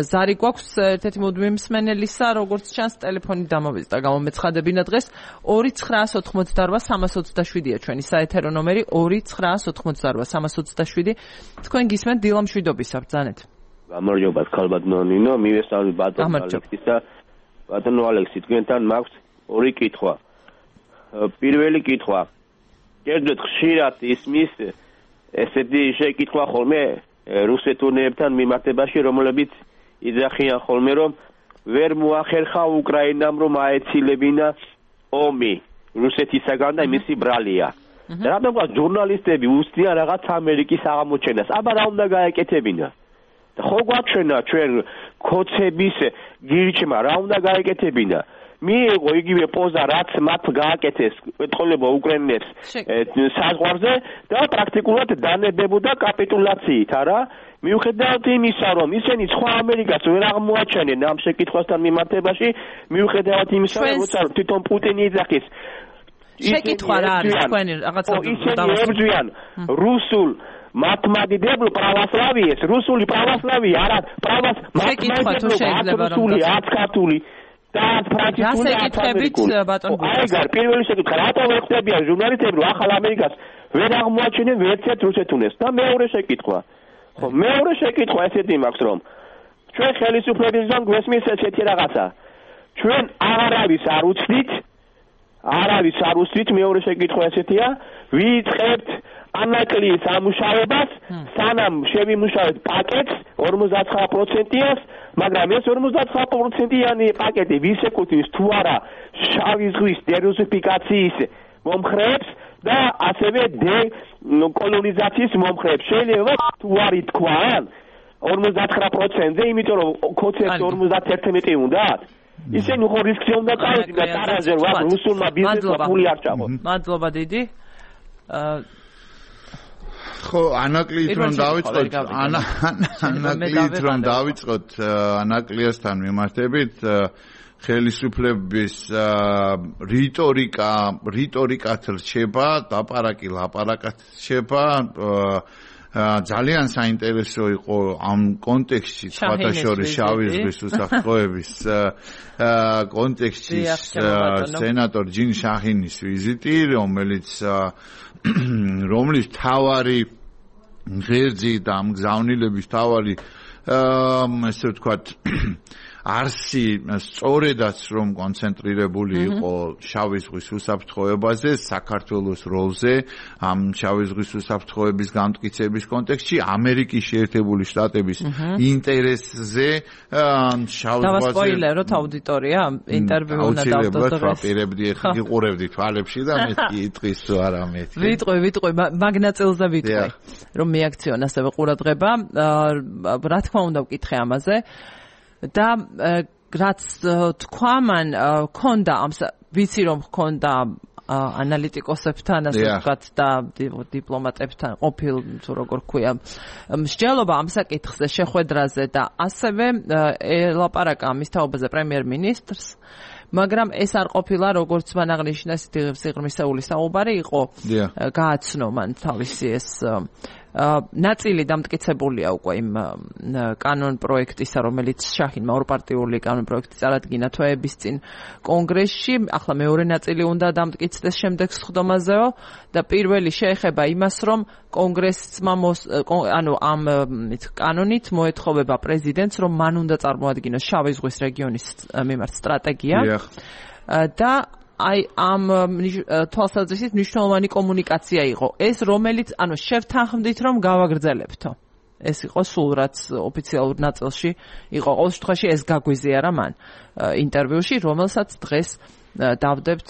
Speaker 1: ზარი გვაქვს ერთ-ერთი მუდმივი მსმენელისა, როგორც ჩანს, ტელეფონი დამოვიწყდა, გამომეცხადებინა დღეს. ორი ცხრაას ოთხმოცდაორვა სამას ოცდაშვიდია ჩვენი საეთერო ნომერი, ორი ცხრაას ოთხმოცდაორვა სამას ოცდაშვიდი. თქვენ გისმენთ დილა მშვიდობისა, ბრძანეთ.
Speaker 3: გამარჯობა, ხალბატონო ნინო, მივესალმებით ბატონო ალექსისა. ბატონო ალექსი, თქვენთან მაქვს ორი კითხვა. პირველი კითხვა. კერძოდ ხშირად ისმის ესეთი შეკითხვა ხოლმე რუსეთუნებთან მიმართებაში, რომლებიც იძახიან ხოლმე, რომ ვერ მოახერხა უკრაინამ, რომ აეცილებინა ომი რუსეთისაგან და მისი ბრალია. რადგან ჟურნალისტები უსწრიან რაღაც ამერიკის აღმოჩენას, აბა რა უნდა გაეკეთებინა? ხო გვაჩვენა ჩვენ ქოცების გირჩმა რა უნდა გაეკეთებინა? მიიღო იგივე პოზა, რაც მათ გააკეთეს ეთყოლება უკრაინელებს საზღვარზე და პრაქტიკულად დანებებოდა კაპიტულაციით, არა? მიუხედავად იმისა, რომ ისინი სხვა ამერიკას ვერ აღმოაჩენენ ამ შეკითხვასთან მიმართებაში, მიუხედავად იმისა, როცა თვითონ პუტინი იძახის
Speaker 1: შეკითხვა რა არის თქვენი რაღაცა
Speaker 3: ისინი ებრძვიან რუსულ მართლმადიდებლ православиეს, რუსული православие, არა правос მართლმადიდებლობა, რუსული, არც ქართული და ფრანგული
Speaker 1: აკითხებით ბატონ გუგას.
Speaker 3: აი, პირველი შეკითხვა, რატომ ეხდებიან ჟურნალისტები, რომ ახალ ამერიკას ვერ აღმოაჩენენ ვერცერთ რუსეთუნეს და მეორე შეკითხვა. ხო, მეორე შეკითხვა ესეთი მაქვს, რომ ჩვენ ხელისუფლებისგან გვესმის ესეთი რაღაცა. ჩვენ არავის არ უცდით, არავის არ უცდით, მეორე შეკითხვა ესეთია, ვიწყებთ ანაკლიის ამუშავებას, სანამ შევიმუშავეთ პაკეტს ორმოცდათვრამეტ პროცენტიანს, მაგრამ ეს ორმოცდათვრამეტ პროცენტიანი პაკეტი ვის ეკუთვნის თუ არა შავი ზღვის დერუსიფიკაციის მომხრეებს და ასევე დეკოლონიზაციის მომხრეებს. შეიძლება თუ არ ითქვან ორმოცდათვრამეტ პროცენტზე, იმიტომ რომ კონცეფტი ორმოცდაათი უნდათ. ისინი ხო რისკზე უნდა წავიდნენ და ტარაზე ვარ რუსულმა ბიზნესმა ფული არ ჩაყო.
Speaker 1: მადლობა დიდი.
Speaker 2: ხო, ანაკლით რომ დავიწყოთ, ანაკლით რომ დავიწყოთ ანაკლიასთან მიმართებით ხელისუფლების რიტორიკა, რიტორიკათ რჩება, ლაპარაკი ლაპარაკად რჩება. ძალიან საინტერესო იყო ამ კონტექსტში, სხვათა შორის შავი ზღვის უსაფრთხოების კონტექსტში სენატორ ჯინ შაჰინის ვიზიტი, რომელიც რომლის თავარი ღერძი და ამ გზავნილების თავარი ესე ვთქვათ არსი სწორედაც რომ კონცენტრირებული იყო შავი ზღვის უსაფრთხოებაზე, საქართველოს როლზე, ამ შავი ზღვის უსაფრთხოების გამტკიცების კონტექსტში, ამერიკის შეერთებული შტატების ინტერესზე შავ ზღვაზე.
Speaker 1: დავასპოილეროთ აუდიტორია, ინტერვიუ უნდა დავდოთ დღეს.
Speaker 2: ვაპირებდი, იყურებდი თვალებში და მეთქი იტყვის არა მეთქი.
Speaker 1: ვიტყვი, ვიტყვი, მაგნაწილზე ვიტყვი, რომ მიაქციონ ასევე ყურადღება. რა თქმა უნდა ვკითხე ამაზე. და რაც თქვა მან ქონდა ამ ვიცი რომ ქონდა ანალიტიკოსებთან ასე ვთქვათ და დიპლომატებთან ყოფილ თუ როგორ ქვია მსჯელობა ამ საკითხზე შეხვედრაზე და ასევე ელაპარაკა ამის თაობაზე პრემიერ-მინისტრს მაგრამ ეს არ ყოფილა როგორც მან აღნიშნა სიღრმისეული საუბარი იყო გააცნო მან თავისი ეს ნაწილი დამტკიცებულია უკვე იმ კანონ პროექტისა, რომელიც შაჰინმა ორპარტიული კანონ პროექტი წარადგინა თვეების წინ კონგრესში. ახლა მეორე ნაწილი უნდა დამტკიცდეს შემდეგ სხდომაზეო და პირველი შეეხება იმას, რომ კონგრესმა ანუ ამ კანონით მოეთხოვება პრეზიდენტს, რომ მან უნდა წარმოადგინოს შავი ზღვის რეგიონის მიმართ სტრატეგია და აი ამ თვალსაზრისით მნიშვნელოვანი კომუნიკაცია იყო ეს რომელიც ანუ შევთანხმდით რომ გავაგრძელებთო ეს იყო სულ რაც ოფიციალურ ნაწილში იყო ყოველ შემთხვევაში ეს გაგვიზიარა მან ინტერვიუში რომელსაც დღეს დავდებთ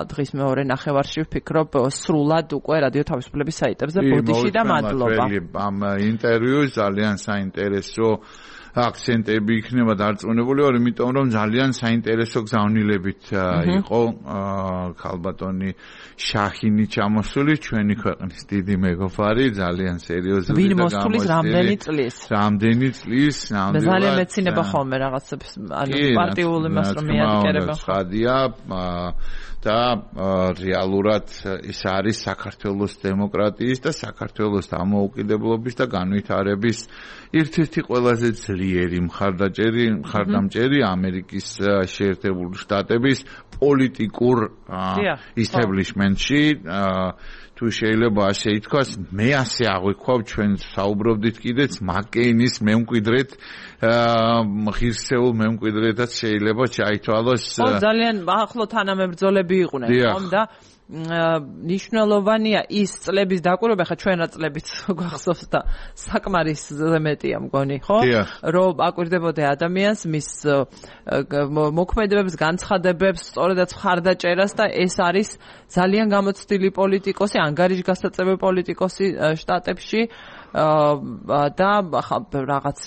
Speaker 1: დღის მეორე ნახევარში ვფიქრობ სრულად უკვე რადიო თავისუფლების საიტებზე ბოდიში და მადლობა
Speaker 2: ამ ინტერვიუს ძალიან საინტერესო აქცენტები იქნება დარწმუნებული ვარ, იმიტომ რომ ძალიან საინტერესო გზავნილებით იყო ქალბატონი შაჰინი ჩამოსული, ჩვენი ქვეყნის დიდი მეგობარი, ძალიან სერიოზული
Speaker 1: და გამოსული რამდენი წლის.
Speaker 2: რამდენი წლის, ნამდვილად.
Speaker 1: ძალიან მეცინება ხოლმე რაღაცებს, ანუ პარტიული მას რომ მიადგერება.
Speaker 2: ხადია და რეალურად ეს არის საქართველოს დემოკრატიის და საქართველოს დამოუკიდებლობის და განვითარების ერთ-ერთი ყველაზე ძლიერი მხარდაჭერი, მხარდამჭერი ამერიკის შეერთებული შტატების პოლიტიკურ ისტაბლიშმენტში თუ შეიძლება ასე ითქვას, მე ასე აღვიქვავ ჩვენ საუბრობდით კიდეც მაკეინის მემკვიდრეთ ღირსეულ მემკვიდრეთაც შეიძლება ჩაითვალოს.
Speaker 1: ხო ძალიან ახლო თანამებრძოლები იყვნენ, ხომ და ნიშნულოვანია ის წლების დაკვირვება, ხა ჩვენ რა წლებიც გვახსოვს და საკმარისზე მეტია მგონი, ხო? რომ აკვირდებოდე ადამიანს მის მოქმედებებს, განცხადებებს, სწორედაც მხარდაჭერას და ეს არის ძალიან გამოცდილი პოლიტიკოსი, ანგარიშგასაწევი პოლიტიკოსი შტატებში და რაღაც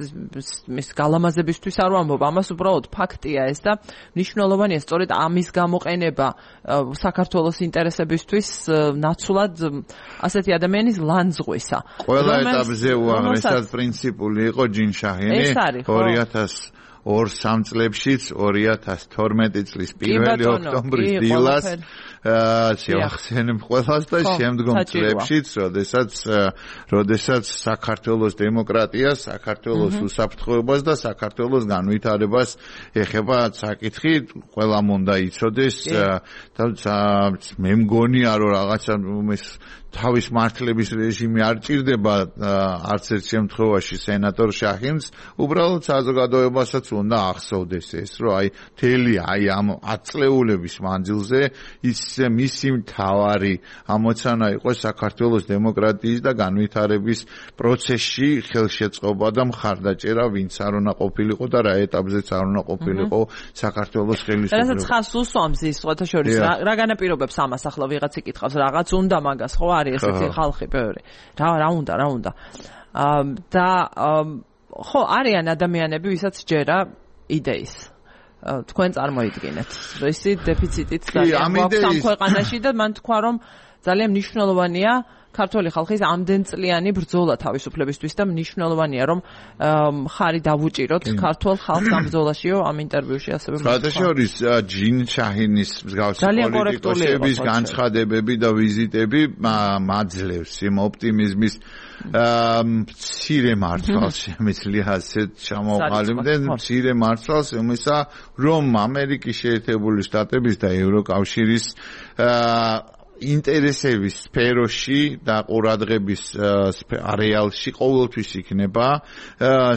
Speaker 1: მის გალამაზებისთვის არ ვამბობ, ამას უბრალოდ ფაქტია ეს და მნიშვნელოვანია სწორედ ამის გამოყენება საქართველოს ინტერესებისთვის ნაცვლად ასეთი ადამიანის ლანძღვისა.
Speaker 2: ყველა ეტაპზე უაღრესად პრინციპული იყო ჯინ შაჰინი ორი ათას ორ სამ წლებშიც ორი ათას თორმეტი წლის პირველი ოქტომბრის დილას შევახსენებ ყველას და შემდგომ წლებშიც, როდესაც როდესაც საქართველოს დემოკრატიას, საქართველოს უსაფრთხოებას და საქართველოს განვითარებას ეხება საკითხი, ყველამ უნდა იცოდეს და მე მგონია რომ რაღაცა თავის მართლების რეჟიმი არ ჭირდება არც ერთ შემთხვევაში სენატორ შაჰინს, უბრალოდ საზოგადოებასაც უნდა ახსოვდეს ეს, რომ აი თელი აი ამ ათ წლეულების მანძილზე ის მისი მთავარი ამოცანა იყო საქართველოს დემოკრატიის და განვითარების პროცესში ხელშეწყობა და მხარდაჭერა, ვინც არ უნდა ყოფილიყო და რა ეტაპზეც არ უნდა ყოფილიყო საქართველოს ხელისუფლება.
Speaker 1: რასაც ხას უსვამს ის სხვათა შორის რა განაპირობებს ამას ახლა ვიღაც იკითხავს, რაღაც უნდა მაგას ხო არის ესეთი ხალხი ბევრი. რა რა უნდა, რა უნდა. და ხო არიან ადამიანები, ვისაც ჯერა იდეის. თქვენ წარმოიდგინეთ. ისი დეფიციტით ძალიან გვაქვს ამ ქვეყანაში და მან თქვა რომ ძალიან მნიშვნელოვანია ქართული ხალხის ამდენწლიანი ბრძოლა თავისუფლებისთვის და მნიშვნელოვანია რომ ხარი დავუჭიროთ ქართულ ხალხს ამ ბრძოლაშიო ამ ინტერვიუში ასევე
Speaker 2: თქვა. შორის ჯინ შაჰინის მსგავსი პოლიტიკოსების განცხადებები და ვიზიტები მაძლევს იმ ოპტიმიზმის მცირე მართლს შემიძლია ასეთ ჩამოყალიბდნენ მცირე მართლს იმისა რომ ამერიკის შეერთებული შტატების და ევროკავშირის ინტერესების სფეროში და ყურადღების არეალში ყოველთვის იქნება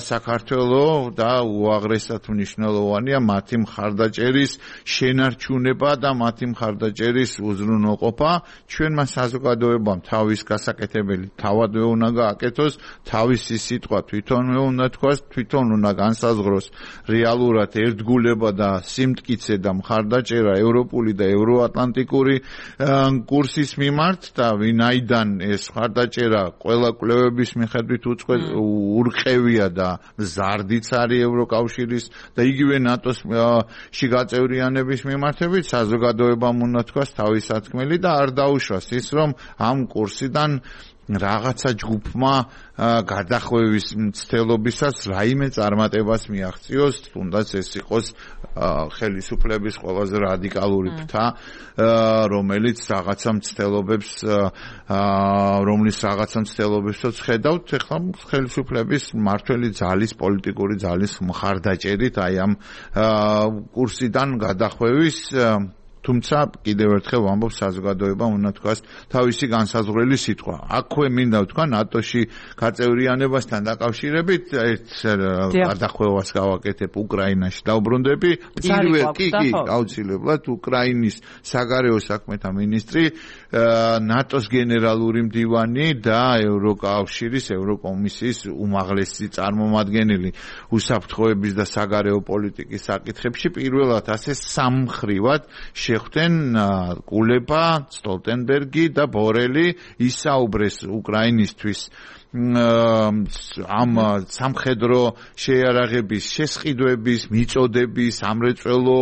Speaker 2: საქართველო და უაღრესად მნიშვნელოვანია მათი მხარდაჭერის შენარჩუნება და მათი მხარდაჭერის უზრუნველყოფა. ჩვენმა საზოგადოებამ თავის გასაკეთებელი თავადვე უნდა გააკეთოს, თავისი სიტყვა თვითონვე უნდა თქვას, თვითონ უნდა განსაზღვროს რეალურად ერთგულება და სიმტკიცე და მხარდაჭერა ევროპული და ევროატლანტიკური კურსის მიმართ და ვინაიდან ეს მხარდაჭერა ყველა კვლევების მიხედვით ურყევია და მზარდიც არის ევროკავშირის და იგივე ნატოს-ში გაწევრიანების მიმართებით, საზოგადოებამ უნდა თქვას თავის სათქმელი და არ დაუშვას ის, რომ ამ კურსიდან რაღაცა ჯგუფმა გადახვევის მცდელობისას რაიმე წარმატებას მიაღწიოს, თუნდაც ეს იყოს ხელისუფლების ყველაზე რადიკალური ფრთა, რომელიც რაღაცა მცდელობებს რომლის რაღაცა მცდელობებსაც ხედავთ, ეხლა ხელისუფლების მმართველი ძალის, პოლიტიკური ძალის მხარდაჭერით აი ამ კურსიდან გადახვევის თუმცა კიდევ ერთხელ ვამბობ საზოგადოებამ უნდა თქვას თავისი განსაზღვრელი სიტყვა. აქვე მინდა ვთქვა ნატოში გაწევრიანებასთან დაკავშირებით ერთ გადახვევას გავაკეთებ უკრაინაში დაუბრუნდები. პირველ კი კი აუცილებლად უკრაინის საგარეო საქმეთა მინისტრი, ნატოს გენერალური მდივანი და ევროკავშირის ევროკომისიის უმაღლესი წარმომადგენელი უსაფრთხოების და საგარეო პოლიტიკის საკითხებში პირველად ასე სამხრივად შეხვდნენ კულება, სტოლტენბერგი და ბორელი ისაუბრეს უკრაინისთვის ამ სამხედრო შეიარაღების შესყიდვების, მიწოდების, ამრეწველო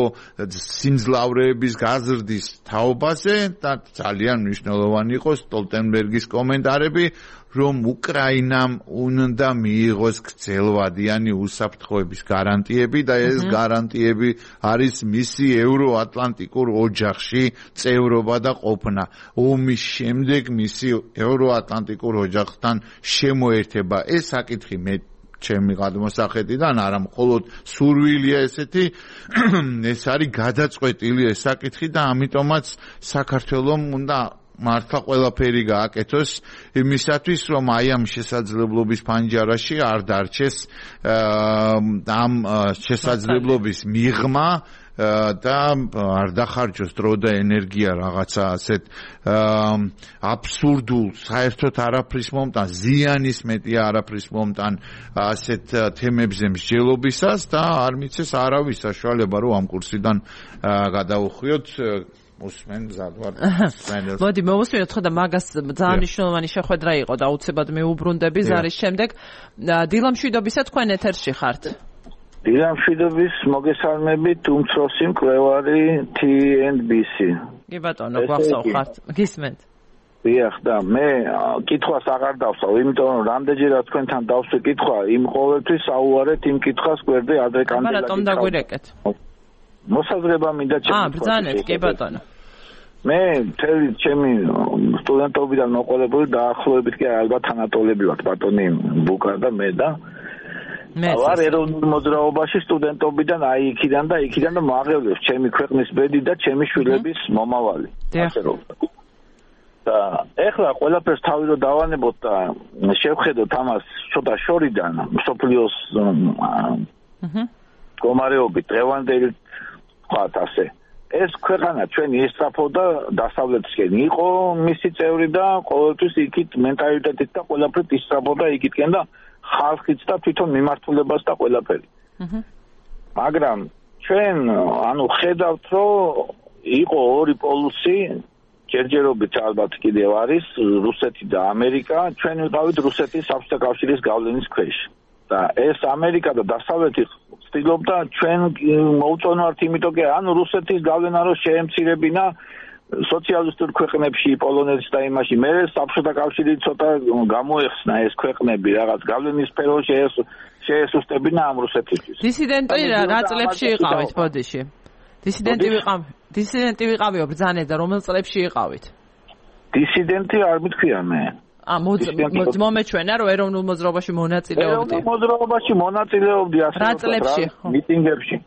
Speaker 2: სიმძლავრეების გაზრდის თაობაზე და ძალიან მნიშვნელოვანი იყო სტოლტენბერგის კომენტარები, რომ უკრაინამ უნდა მიიღოს გრძელვადიანი უსაფრთხოების გარანტიები და ეს გარანტიები არის მისი ევროატლანტიკურ ოჯახში წევრობა და ყოფნა. ომის შემდეგ მისი ევროატლანტიკურ ოჯახთან შემოერთება. ეს საკითხი მე ჩემი გადმოსახედიდან არა მხოლოდ სურვილია ესეთი, ეს არის გადაწყვეტილი ეს საკითხი და ამიტომაც საქართველოს უნდა მართლა ყველაფერი გააკეთოს იმისათვის, რომ აი ამ შესაძლებლობის პანჯარაში არ დარჩეს ამ შესაძლებლობის მიღმა და არ დახარჯოს დრო და ენერგია რაღაცა ასეთ აბსურდულ, საერთოდ არაფრის მომტან, ზიანის მეტია არაფრის მომტან ასეთ თემებზე მსჯელობისას და არ მიცეს არავის საშუალება, რომ ამ კურსიდან გადაუხვიოთ. უსმენ ზადვარ სპენელს.
Speaker 1: მოდი მოვუსმინოთ ხო და მაგას ძალიან მნიშვნელოვანი შეხვედრა იყო და უცებად მეუბრუნდები ზარის შემდეგ. დილამშვიდობისა თქვენ ეთერში ხართ.
Speaker 4: დილამშვიდობის მოგესალმებით უმცროსი მკვლევარი T and B C.
Speaker 1: კი ბატონო, გვახსოვ ხართ. გისმენთ.
Speaker 4: დიახ და მე კითხვას აღარ დავსვავ, იმიტომ რომ რამდენჯერაც თქვენთან დავსვი კითხვა, იმ ყოველთვის აუარეთ იმ კითხვას გვერდზე ადრე კანდიდატი.
Speaker 1: აბა რატომ დაგვირეკეთ?
Speaker 4: მოსაზრება მინდა ჩემი.
Speaker 1: აა, ბრძანეთ, კი ბატონო.
Speaker 4: მე მთელი ჩემი სტუდენტობიდან მოყოლებული დაახლოებით კი ალბათ თანატოლები ვართ ბატონი ბუკა და მე და მე ვარ ეროვნულ მოძრაობაში სტუდენტობიდან აი იქიდან და იქიდან და მააღლევს ჩემი ქვეყნის ბედი და ჩემი შვილების მომავალი. ასე რომ და ეხლა ყველაფერს თავი რო დავანებოთ და შევხედოთ ამას ცოტა შორიდან სოფლიოს აჰა კომარეობით დღევანდელი ვთქვათ ასე ეს ქვეყანა ჩვენი ესწრაფოდა დასავლეთისკენ იყო მისი წევრი და ყოველთვის იქით მენტალიტეტით და ყველაფრით ისწრაფოდა იქითკენ და ხალხიც და თვითონ მიმართულებას და ყველაფერი. აჰა მაგრამ ჩვენ ანუ ხედავთ რომ იყო ორი პოლუსი ჯერჯერობით ალბათ კიდევ არის რუსეთი და ამერიკა ჩვენ ვიყავით რუსეთის საბჭოთა კავშირის გავლენის ქვეშ და ეს ამერიკა და დასავლეთი ცდილობდა ჩვენ მოუწონვართ იმიტომ კი ანუ რუსეთის გავლენა რო შეემცირებინა სოციალისტურ ქვეყნებში პოლონეთში და იმაში მე საბჭოთა კავშირი ცოტა გამოეხსნა ეს ქვეყნები რაღაც გავლენის სფეროში შეესუსტებინა ამ რუსეთისთვის
Speaker 1: დისიდენტი რა წლებში იყავით ბოდიში დისიდენტი ვიყავ დისიდენტი ვიყავიო ბრძანეთ და რომელ წლებში იყავით
Speaker 4: დისიდენტი არ მithქვია მე
Speaker 1: ა მომეჩვენა რომ ეროვნულ მოძრაობაში მონაწილეობდი
Speaker 4: ეროვნულ მოძრაობაში მონაწილეობდი ასე
Speaker 1: რა წლებში
Speaker 4: მიტინგებში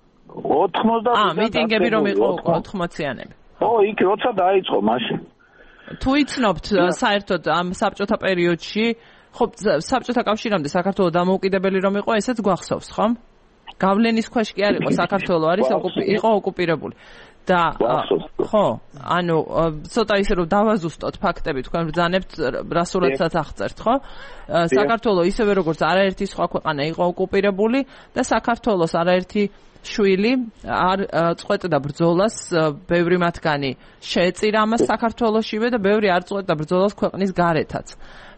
Speaker 4: ოთხმოცდაათი
Speaker 1: ა მიტინგები რომ იყო ოთხმოციანები
Speaker 4: ო იქ როცა დაიწყო მაშინ
Speaker 1: თუ იცნობთ საერთოდ ამ საბჭოთა პერიოდში ხო საბჭოთა კავშირამდე საქართველოს დამოუკიდებელი რომ იყო ესეც გვახსოვს ხომ გავლენის ქვეშ კი არ იყო საქართველოს არის იყო ოკუპირებული და ხო ანუ ცოტა ისე რომ დავაზუსტოთ ფაქტები თქვენ ბრძანებთ რასურათაც აღწერთ ხო საქართველოს ისევე როგორც არაერთი სხვა ქვეყანა იყო ოკუპირებული და საქართველოს არაერთი შვილი არ წყვეტდა ბრძოლას ბევრი მათგანი შეეწირა ამას საქართველოსშივე და ბევრი არ წყვეტდა ბრძოლას ქვეყნის გარეთაც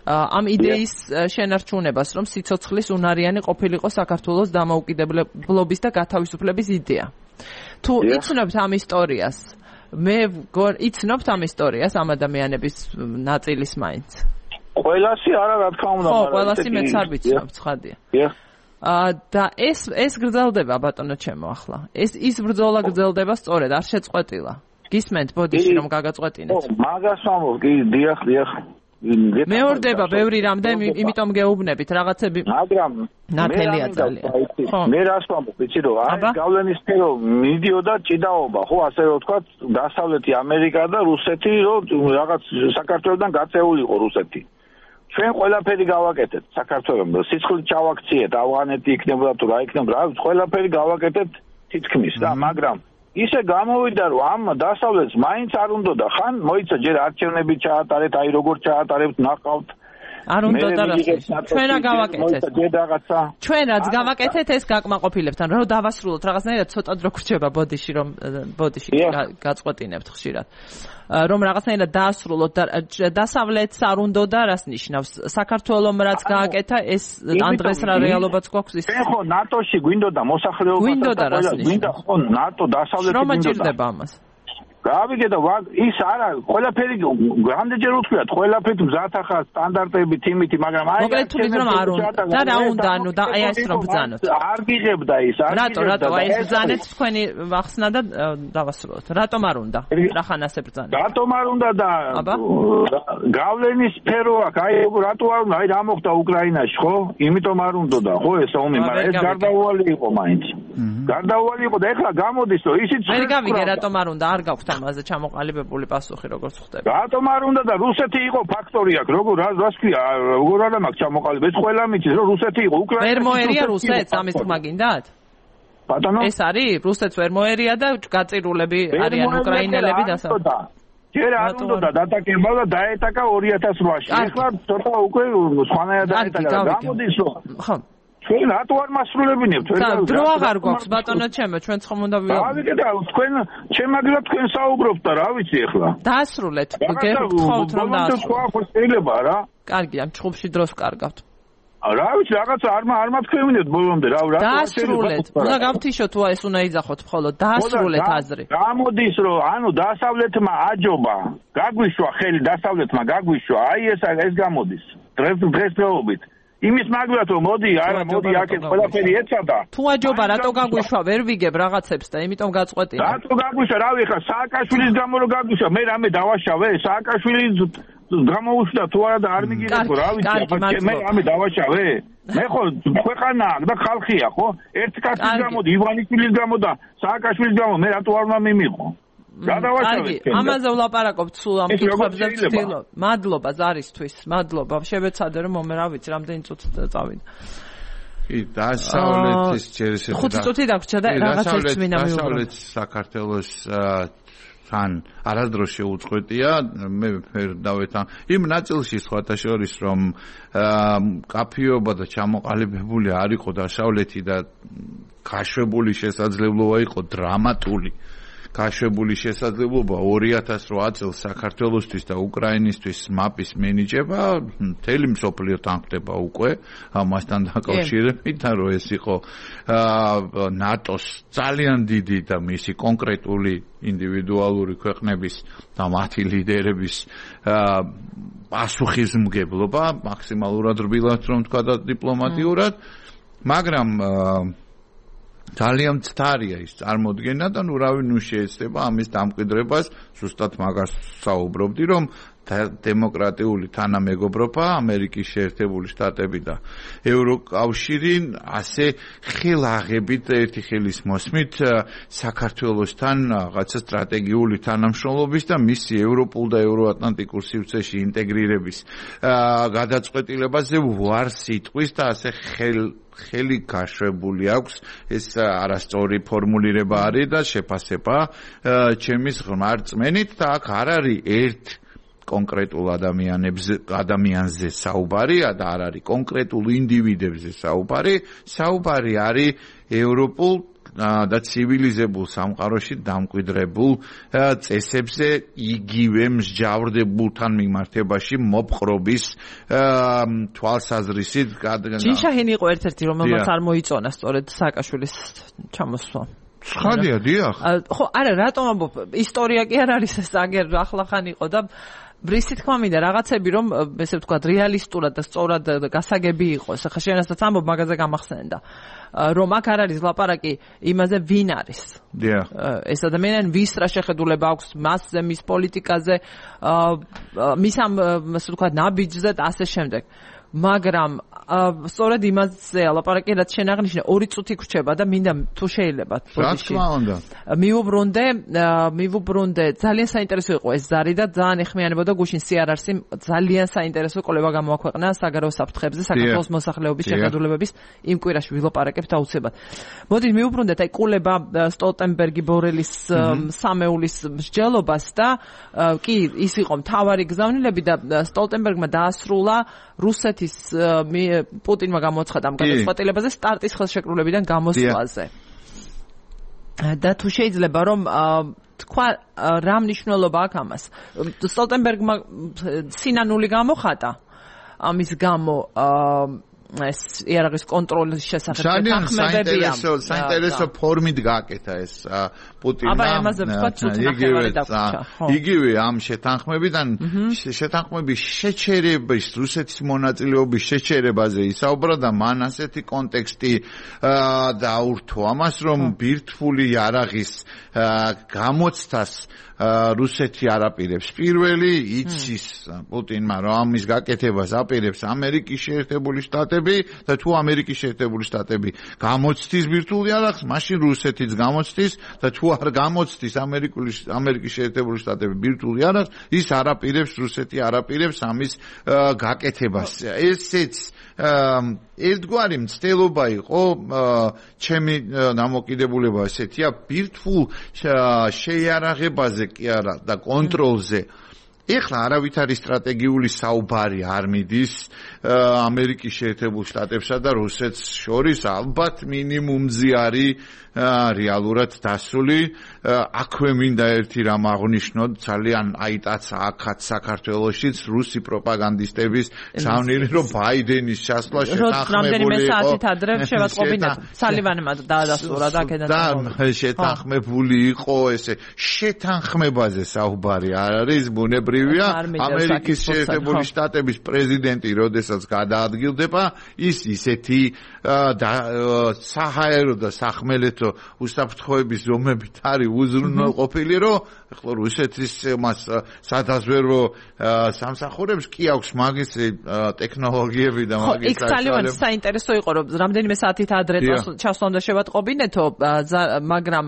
Speaker 1: ამ იდეის შენარჩუნებას რომ სიცოცხლის უნარიანი ყოფილიყო საქართველოს დამოუკიდებლობის და გათავისუფლების იდეა თუ იცნობთ ამ ისტორიას მე იცნობთ ამ ისტორიას ამ ადამიანების ნაწილის მაინც
Speaker 4: ყველასი არა რა თქმა უნდა
Speaker 1: ხო ყველასი მეც არ ვიცნობ ცხადია და ეს ეს გრძელდება ბატონო ჩემო ახლა ეს ის ბრძოლა გრძელდება სწორედ არ შეწყვეტილა გისმენთ ბოდიში რომ გაგაწყვეტინეთ
Speaker 4: მაგას ვამბობ კი დიახ დიახ
Speaker 1: მეორდება ბევრი რამდენი იმიტომ გეუბნებით რაღაცები
Speaker 4: მაგრამ
Speaker 1: ნათელია ძალიან
Speaker 4: მე რას ვამბობ იცი რომ აი გავლენის სფერო მიდიოდა ჭიდაობა ხო ასე რომ თქვა დასავლეთი ამერიკა და რუსეთი რომ რაღაც საქართველოსთან გაწეულიყო რუსეთი ჩვენ ყველაფერი გავაკეთეთ საქართველოს სიცხლით ჩავაქციეთ ავღანეთი იქნებოდა თუ რა იქნებოდა რა ყველაფერი გავაკეთეთ თითქმის და მაგრამ ისე გამოვიდა რომ ამ დასავლეთს მაინც არ უნდოდა ხან მოიცა ჯერ არჩევნები ჩაატარეთ აი როგორ ჩაატარებთ ნახავთ
Speaker 1: არ უნდოდა რა ჩვენ რა გავაკეთეთ ჩვენ რაც გავაკეთეთ ეს გაკმაყოფილებთან რომ დავასრულოთ რაღაცნაირად ცოტა დრო გრჩება ბოდიში რომ ბოდიში გაწყვეტინებთ ხშირად რომ რაღაცნაირად დაასრულოთ და დასავლეთს არ უნდოდა რას ნიშნავს საქართველოს რაც გააკეთა ეს ან დღეს რა რეალობაც გვაქვს ის
Speaker 4: ხო ნატოში გვინდოდა მოსახლეობა
Speaker 1: გვინდოდა რას ნიშნავს
Speaker 4: ხო ნატო დასავლეთი
Speaker 1: რომ აჭირდება ამას
Speaker 4: გავიგე და ის არა ყველაფერი რამდენჯერ უთქვიათ ყველაფერი მზათახა სტანდარტები თიმითი მაგრამ აი
Speaker 1: მოკლედ თუ რომ არ უნდა და რა უნდა ანუ და აი ეს რომ ბრძანოთ
Speaker 4: არ გიღებდა ის არ
Speaker 1: რატო რატო აი ეს ბრძანეთ თქვენი ახსნა და დავასრულოთ რატომ არ უნდა რახან ასე ბრძანეთ
Speaker 4: რატომ არ უნდა და გავლენის სფერო აქვს აი რატო არ უნდა აი რა მოხდა უკრაინაში ხო იმიტომ არ უნდა და ხო ეს ომი მაგრამ ეს გარდაუვალი იყო მაინც გარდაუვალი იყო და ეხლა გამოდის რომ ისიც
Speaker 1: ვერ გავიგე რატომ არ უნდა არ გაქვთ ამაზე ჩამოყალიბებული პასუხი როგორც ხდება.
Speaker 4: რატომ არ უნდა და რუსეთი იყო ფაქტორი აქ, როგორ რას ქვია, როგორ არ მაქვს ჩამოყალიბებული. ეს ყველა მიცის რომ რუსეთი იყო უკრაინა.
Speaker 1: ვერ მოერია რუსეთს ამის თქმა გინდათ?
Speaker 4: ბატონო?
Speaker 1: ეს არის რუსეთს ვერ მოერია და გაწირულები არიან უკრაინელები დასავლეთ.
Speaker 4: ჯერ არ უნდა და დატაკება და დაეტაკა ორი ათას რვაში. ეხლა ცოტა უკვე სხვანაირად დაეტაკა. გამოდის რომ
Speaker 1: ხო
Speaker 4: ჩვენ რატო არ მასრულებინებთ
Speaker 1: ჩვენ დრო აღარ გვაქვს ბატონო ჩემო ჩვენ ხომ უნდა
Speaker 4: დავიგე და თქვენ შემაგრა თქვენ საუბრობთ და რა ვიცი ახლა
Speaker 1: დაასრულეთ გეხოთ რომ დაასრულოთ
Speaker 4: შეიძლება რა
Speaker 1: კარგია ჩხუბში დროს კარგავთ
Speaker 4: რა ვიცი რაღაცა არ არ მათქვევინეთ ბოლომდე რა რა
Speaker 1: დაასრულეთ უნდა გავთიშოთ თუ ეს უნდა იძახოთ მხოლოდ დაასრულეთ აზრი
Speaker 4: გამოდის რომ ანუ დასავლეთმა აჯობა გაგვიშვა ხელი დასავლეთმა გაგვიშვა აი ეს ეს გამოდის დღეს დღესდღეობით იმის მაგალითად რომ მოდი არა მოდი აქეთ ყველაფერი ეცადა
Speaker 1: თუ აჯობა რატო გაგვიშვა ვერ ვიგებ რაღაცებს და იმიტომ გაწყვეტინა
Speaker 4: რატო გაგვიშვა რავი ხა სააკაშვილის გამო რომ გაგვიშვა მე რამე დავაშავე სააკაშვილი გამოუშვა თუ არა და არ მიგიღებო რა ვიცი მე რამე დავაშავე მე ხო ქვეყანაა და ხალხია ხო ერთ კაცის გამო ივანიშვილის გამო და სააკაშვილის გამო მე რატო არ უნდა მიმიყო რა დავაშავე
Speaker 1: ამაზე ვლაპარაკობთ სულ ამ კითხვებზე ვცდილობ მადლობა ზარისთვის მადლობა შევეცადე რომ მომე რა ვიცი რამდენი წუთი წავიდა
Speaker 2: კი დასავლეთის ჯერეს
Speaker 1: ხუთი წუთი დაგვრჩა და რაღაცებს მინდა მივუყურო
Speaker 2: დასავლეთ საქართველოს თან არასდროს შეუწყვეტია მე ვერ დავეთან იმ ნაწილში სხვათა შორის რომ კაფეობა და ჩამოყალიბებული არ იყო დასავლეთი და გაშვებული შესაძლებლობა იყო დრამატული გაშვებული შესაძლებლობა ორი ათას რვა წელს საქართველოსთვის და უკრაინისთვის მაპის მინიჭება მთელი მსოფლიო თანხდება უკვე ამასთან დაკავშირებით და რომ ეს იყო ნატოს ძალიან დიდი და მისი კონკრეტული ინდივიდუალური ქვეყნების და მათი ლიდერების პასუხისმგებლობა მაქსიმალურად რბილად რომ თქვა და დიპლომატიურად მაგრამ ძალიან მცდარია ის წარმოდგენა და ნუ რავი ნუ შეეცდება ამის დამკვიდრებას ზუსტად მაგას საუბრობდი რომ დემოკრატიული თანამეგობრობა ამერიკის შეერთებული შტატები და ევროკავშირი ასე ხელაღებით ერთი ხელის მოსმით საქართველოსთან რაღაცა სტრატეგიული თანამშრომლობის და მისი ევროპულ და ევროატლანტიკურ სივრცეში ინტეგრირების გადაწყვეტილებაზე ვარ სიტყვის და ასე ხელ ხელი გაშვებული აქვს ეს არასწორი ფორმულირება არის და შეფასება ჩემის ღრმა რწმენით და აქ არ არის ერთ კონკრეტულ ადამიანებზე ადამიანზე საუბარი და არ არის კონკრეტულ ინდივიდებზე საუბარი საუბარი არის ევროპულ და ცივილიზებულ სამყაროში დამკვიდრებულ წესებზე იგივე მსჯავრდებულთან მიმართებაში მოპყრობის თვალსაზრისით
Speaker 1: ჯინშაჰენი იყო ერთ-ერთი რომელმაც არ მოიწონა სწორედ სააკაშვილის ჩამოსვლა
Speaker 2: ცხადია დიახ
Speaker 1: ხო არა რატომ ამბობ ისტორია კი არ არის ეს აგერ ახლახან იყო და ბრისი თქვა მინდა რაღაცები რომ ესე ვთქვათ რეალისტურად და სწორად გასაგები იყოს ახლა შენასაც ამბობ მაგაზე გამახსენდა რომ აქ არ არის ლაპარაკი იმაზე ვინ არის
Speaker 2: დიახ
Speaker 1: ეს ადამიანი ვის რა შეხედულება აქვს მასზე მის პოლიტიკაზე მის ამ ასე ვთქვათ ნაბიჯზე და ასე შემდეგ მაგრამ სწორედ იმაზეა ლაპარაკი რაც შენ აღნიშნე ორი წუთი გრჩება და მინდა თუ შეიძლება
Speaker 2: ბოდიში
Speaker 1: მივუბრუნდე მივუბრუნდე ძალიან საინტერესო იყო ეს ზარი და ძალიან ეხმიანებოდა გუშინ სიარარსი ძალიან საინტერესო კოლება გამოაქვეყნა საგარეო საფრთხეებზე საქართველოს მოსახლეობის შეხედულებების იმ კვირაში ვილაპარაკებთ აუცილებლად მოდით მივუბრუნდეთ აი კულება სტოლტენბერგი ბორელის სამეულის მსჯელობას და კი ის იყო მთავარი გზავნილები და სტოლტენბერგმა დაასრულა რუსეთის პუტინმა გამოცხადა ამ გადაწყვეტილებაზე სტარტის ხელშეკრულებიდან გამოსვლაზე. და თუ შეიძლება რომ თქვა რა მნიშვნელობა აქვს ამას. სტოლტენბერგმა სინანული გამოხატა ამის გამო ეს იარაღის კონტროლის შესახებ
Speaker 2: თანხმებებია. საინტერესო საინტერესო ფორმით გააკეთა ეს პუტინმა. იგივე ამ შეთანხმებიდან შეთანხმების შეჩერების რუსეთის მონაწილეობის შეჩერებაზე ისაუბრა და მან ასეთი კონტექსტი დაურთო ამას რომ ბირთვული იარაღის გამოცდას რუსეთი არ აპირებს. პირველი იცის პუტინმა რომ ამის გაკეთებას აპირებს ამერიკის შეერთებული შტატები და თუ ამერიკის შეერთებული შტატები გამოცდის ბირთვულ იარაღს, მაშინ რუსეთიც გამოცდის და თუ არ გამოცდის ამერიკის შეერთებული შტატები ბირთვულ იარაღს, ის არ აპირებს რუსეთი არ აპირებს ამის გაკეთებას. ესეც ერთგვარი მცდელობა იყო ჩემი დამოკიდებულება ესეთია ბირთვულ შეიარაღებაზე კი არა და კონტროლზე ეხლა არავითარი სტრატეგიული საუბარი არ მიდის ამერიკის შეერთებულ შტატებსა და რუსეთს შორის ალბათ მინიმუმზე არის რეალურად დასული აქვე მინდა ერთი რამ აღნიშნოთ ძალიან აიტაც აქაც საქართველოსშიც რუსი პროპაგანდისტების საუნირი რომ ბაიდენის ჩასვლა შეთანხმებული იყო
Speaker 1: საათით ადრე შევატყობინათ სალივანმა დაადასტურა და
Speaker 2: და შეთანხმებული იყო ესე შეთანხმებაზე საუბარი არ არის ბუნებრივია ამერიკის შეერთებული შტატების პრეზიდენტი როდესაც გადაადგილდება ის ისეთი საჰაერო და სახმელეთო უსაფრთხოების ზომებით არის უზრუნველყოფილი რომ ახლა რუსეთის მას სადაზვერო სამსახურებს კი აქვს მაგის ტექნოლოგიები და მაგის
Speaker 1: იქ ძალიან საინტერესო იყო რომ რამდენიმე საათით ადრე ჩასვლა უნდა შევატყობინეთო მაგრამ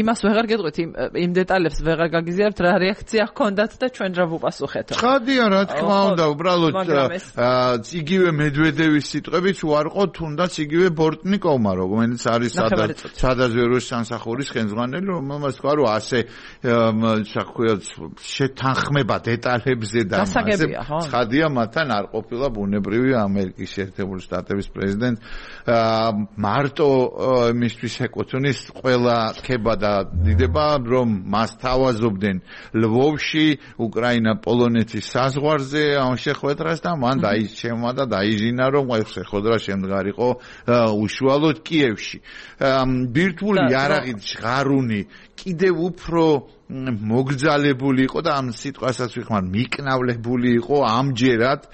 Speaker 1: იმას ვეღარ გეტყვით იმ დეტალებს ვეღარ გაგიზიარებთ რა რეაქცია ჰქონდათ და ჩვენ რა ვუპასუხეთო
Speaker 2: ხადია რა თქმა უნდა უბრალოდ იგივე მედვედევის სიტყვებით უარყო თუნდაც იგივე ბორტნიკოვმა რომელიც არის სადაზვერო სამსახურის ხელმძღვანელი რომელმაც თქვა რომ ასე შეთანხმება დეტალებზე და მასე ცხადია მათთან არ ყოფილა ბუნებრივი ამერიკის შეერთებული შტატების პრეზიდენტ მარტო მისთვის ეკუთვნის ყველა ქება და დიდება რომ მას თავაზობდნენ ლვოვში უკრაინა პოლონეთის საზღვარზე ამ შეხვედრას და მან დაიჩემა და დაიჟინა რომ აი შეხვედრა შემდგარიყო უშუალოდ კიევში ბირთვული იარაღით ჟღარუნი კიდევ უფრო მოგძალებული იყო და ამ სიტყვასაც ვიხმარ მიკნავლებული იყო ამჯერად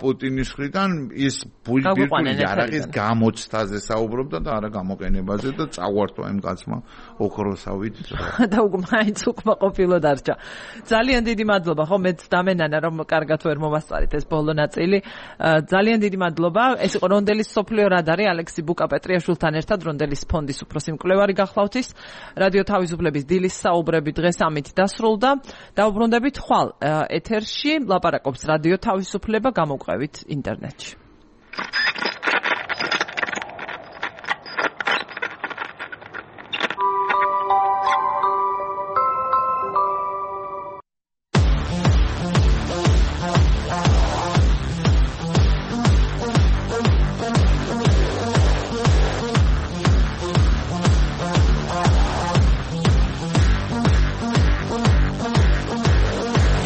Speaker 2: პუტინის მხრიდან ის ბირთვული იარაღის გამოცდაზე საუბრობდა და არა გამოყენებაზე და წაგვართვა იმ კაცმა ოქროსავით
Speaker 1: და უკმაინც უკმაყოფილო დარჩა ძალიან დიდი მადლობა ხო მეც დამენანა რომ კარგად ვერ მომასწარით ეს ბოლო ნაწილი ძალიან დიდი მადლობა ეს იყო რონდელის სოფლიო რადარი ალექსი ბუკა-პეტრიაშვილთან ერთად რონდელის ფონდის უფროსი მკვლევარი გახლავთ ის რადიო თავისუფლების დილის საუბრები დღეს ამით დასრულდა დაუბრუნდებით ხვალ ეთერში ლაპარაკობს რადიო თავისუფლება გამოვყევით ინტერნეტში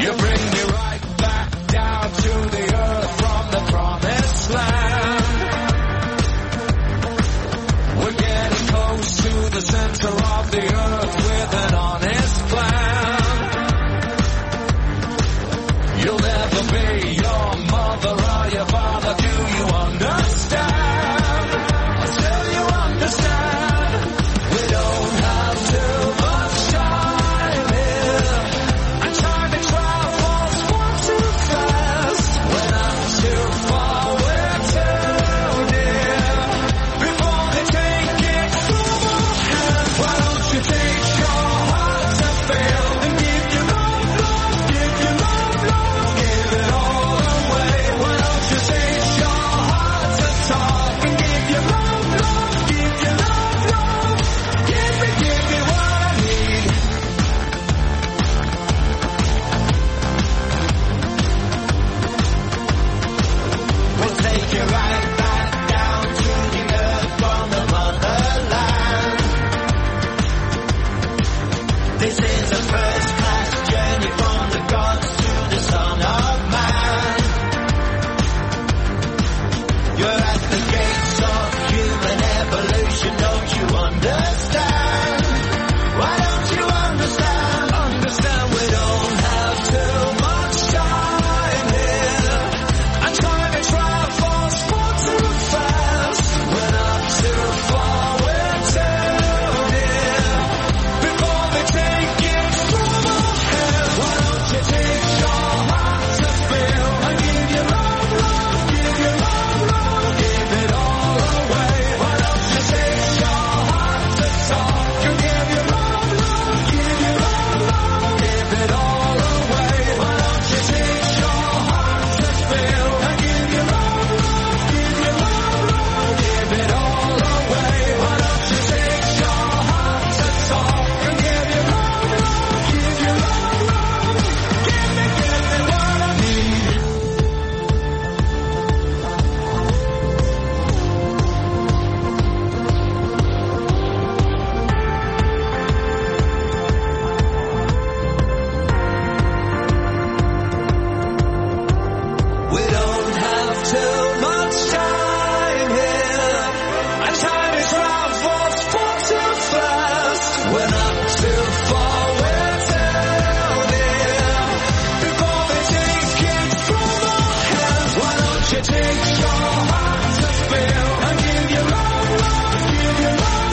Speaker 5: You bring me right back down to the earth from the promised land.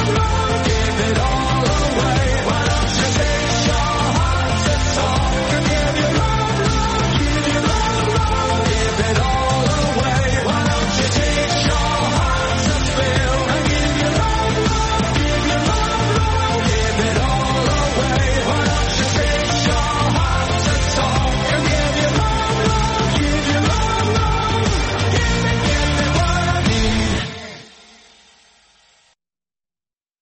Speaker 5: I'm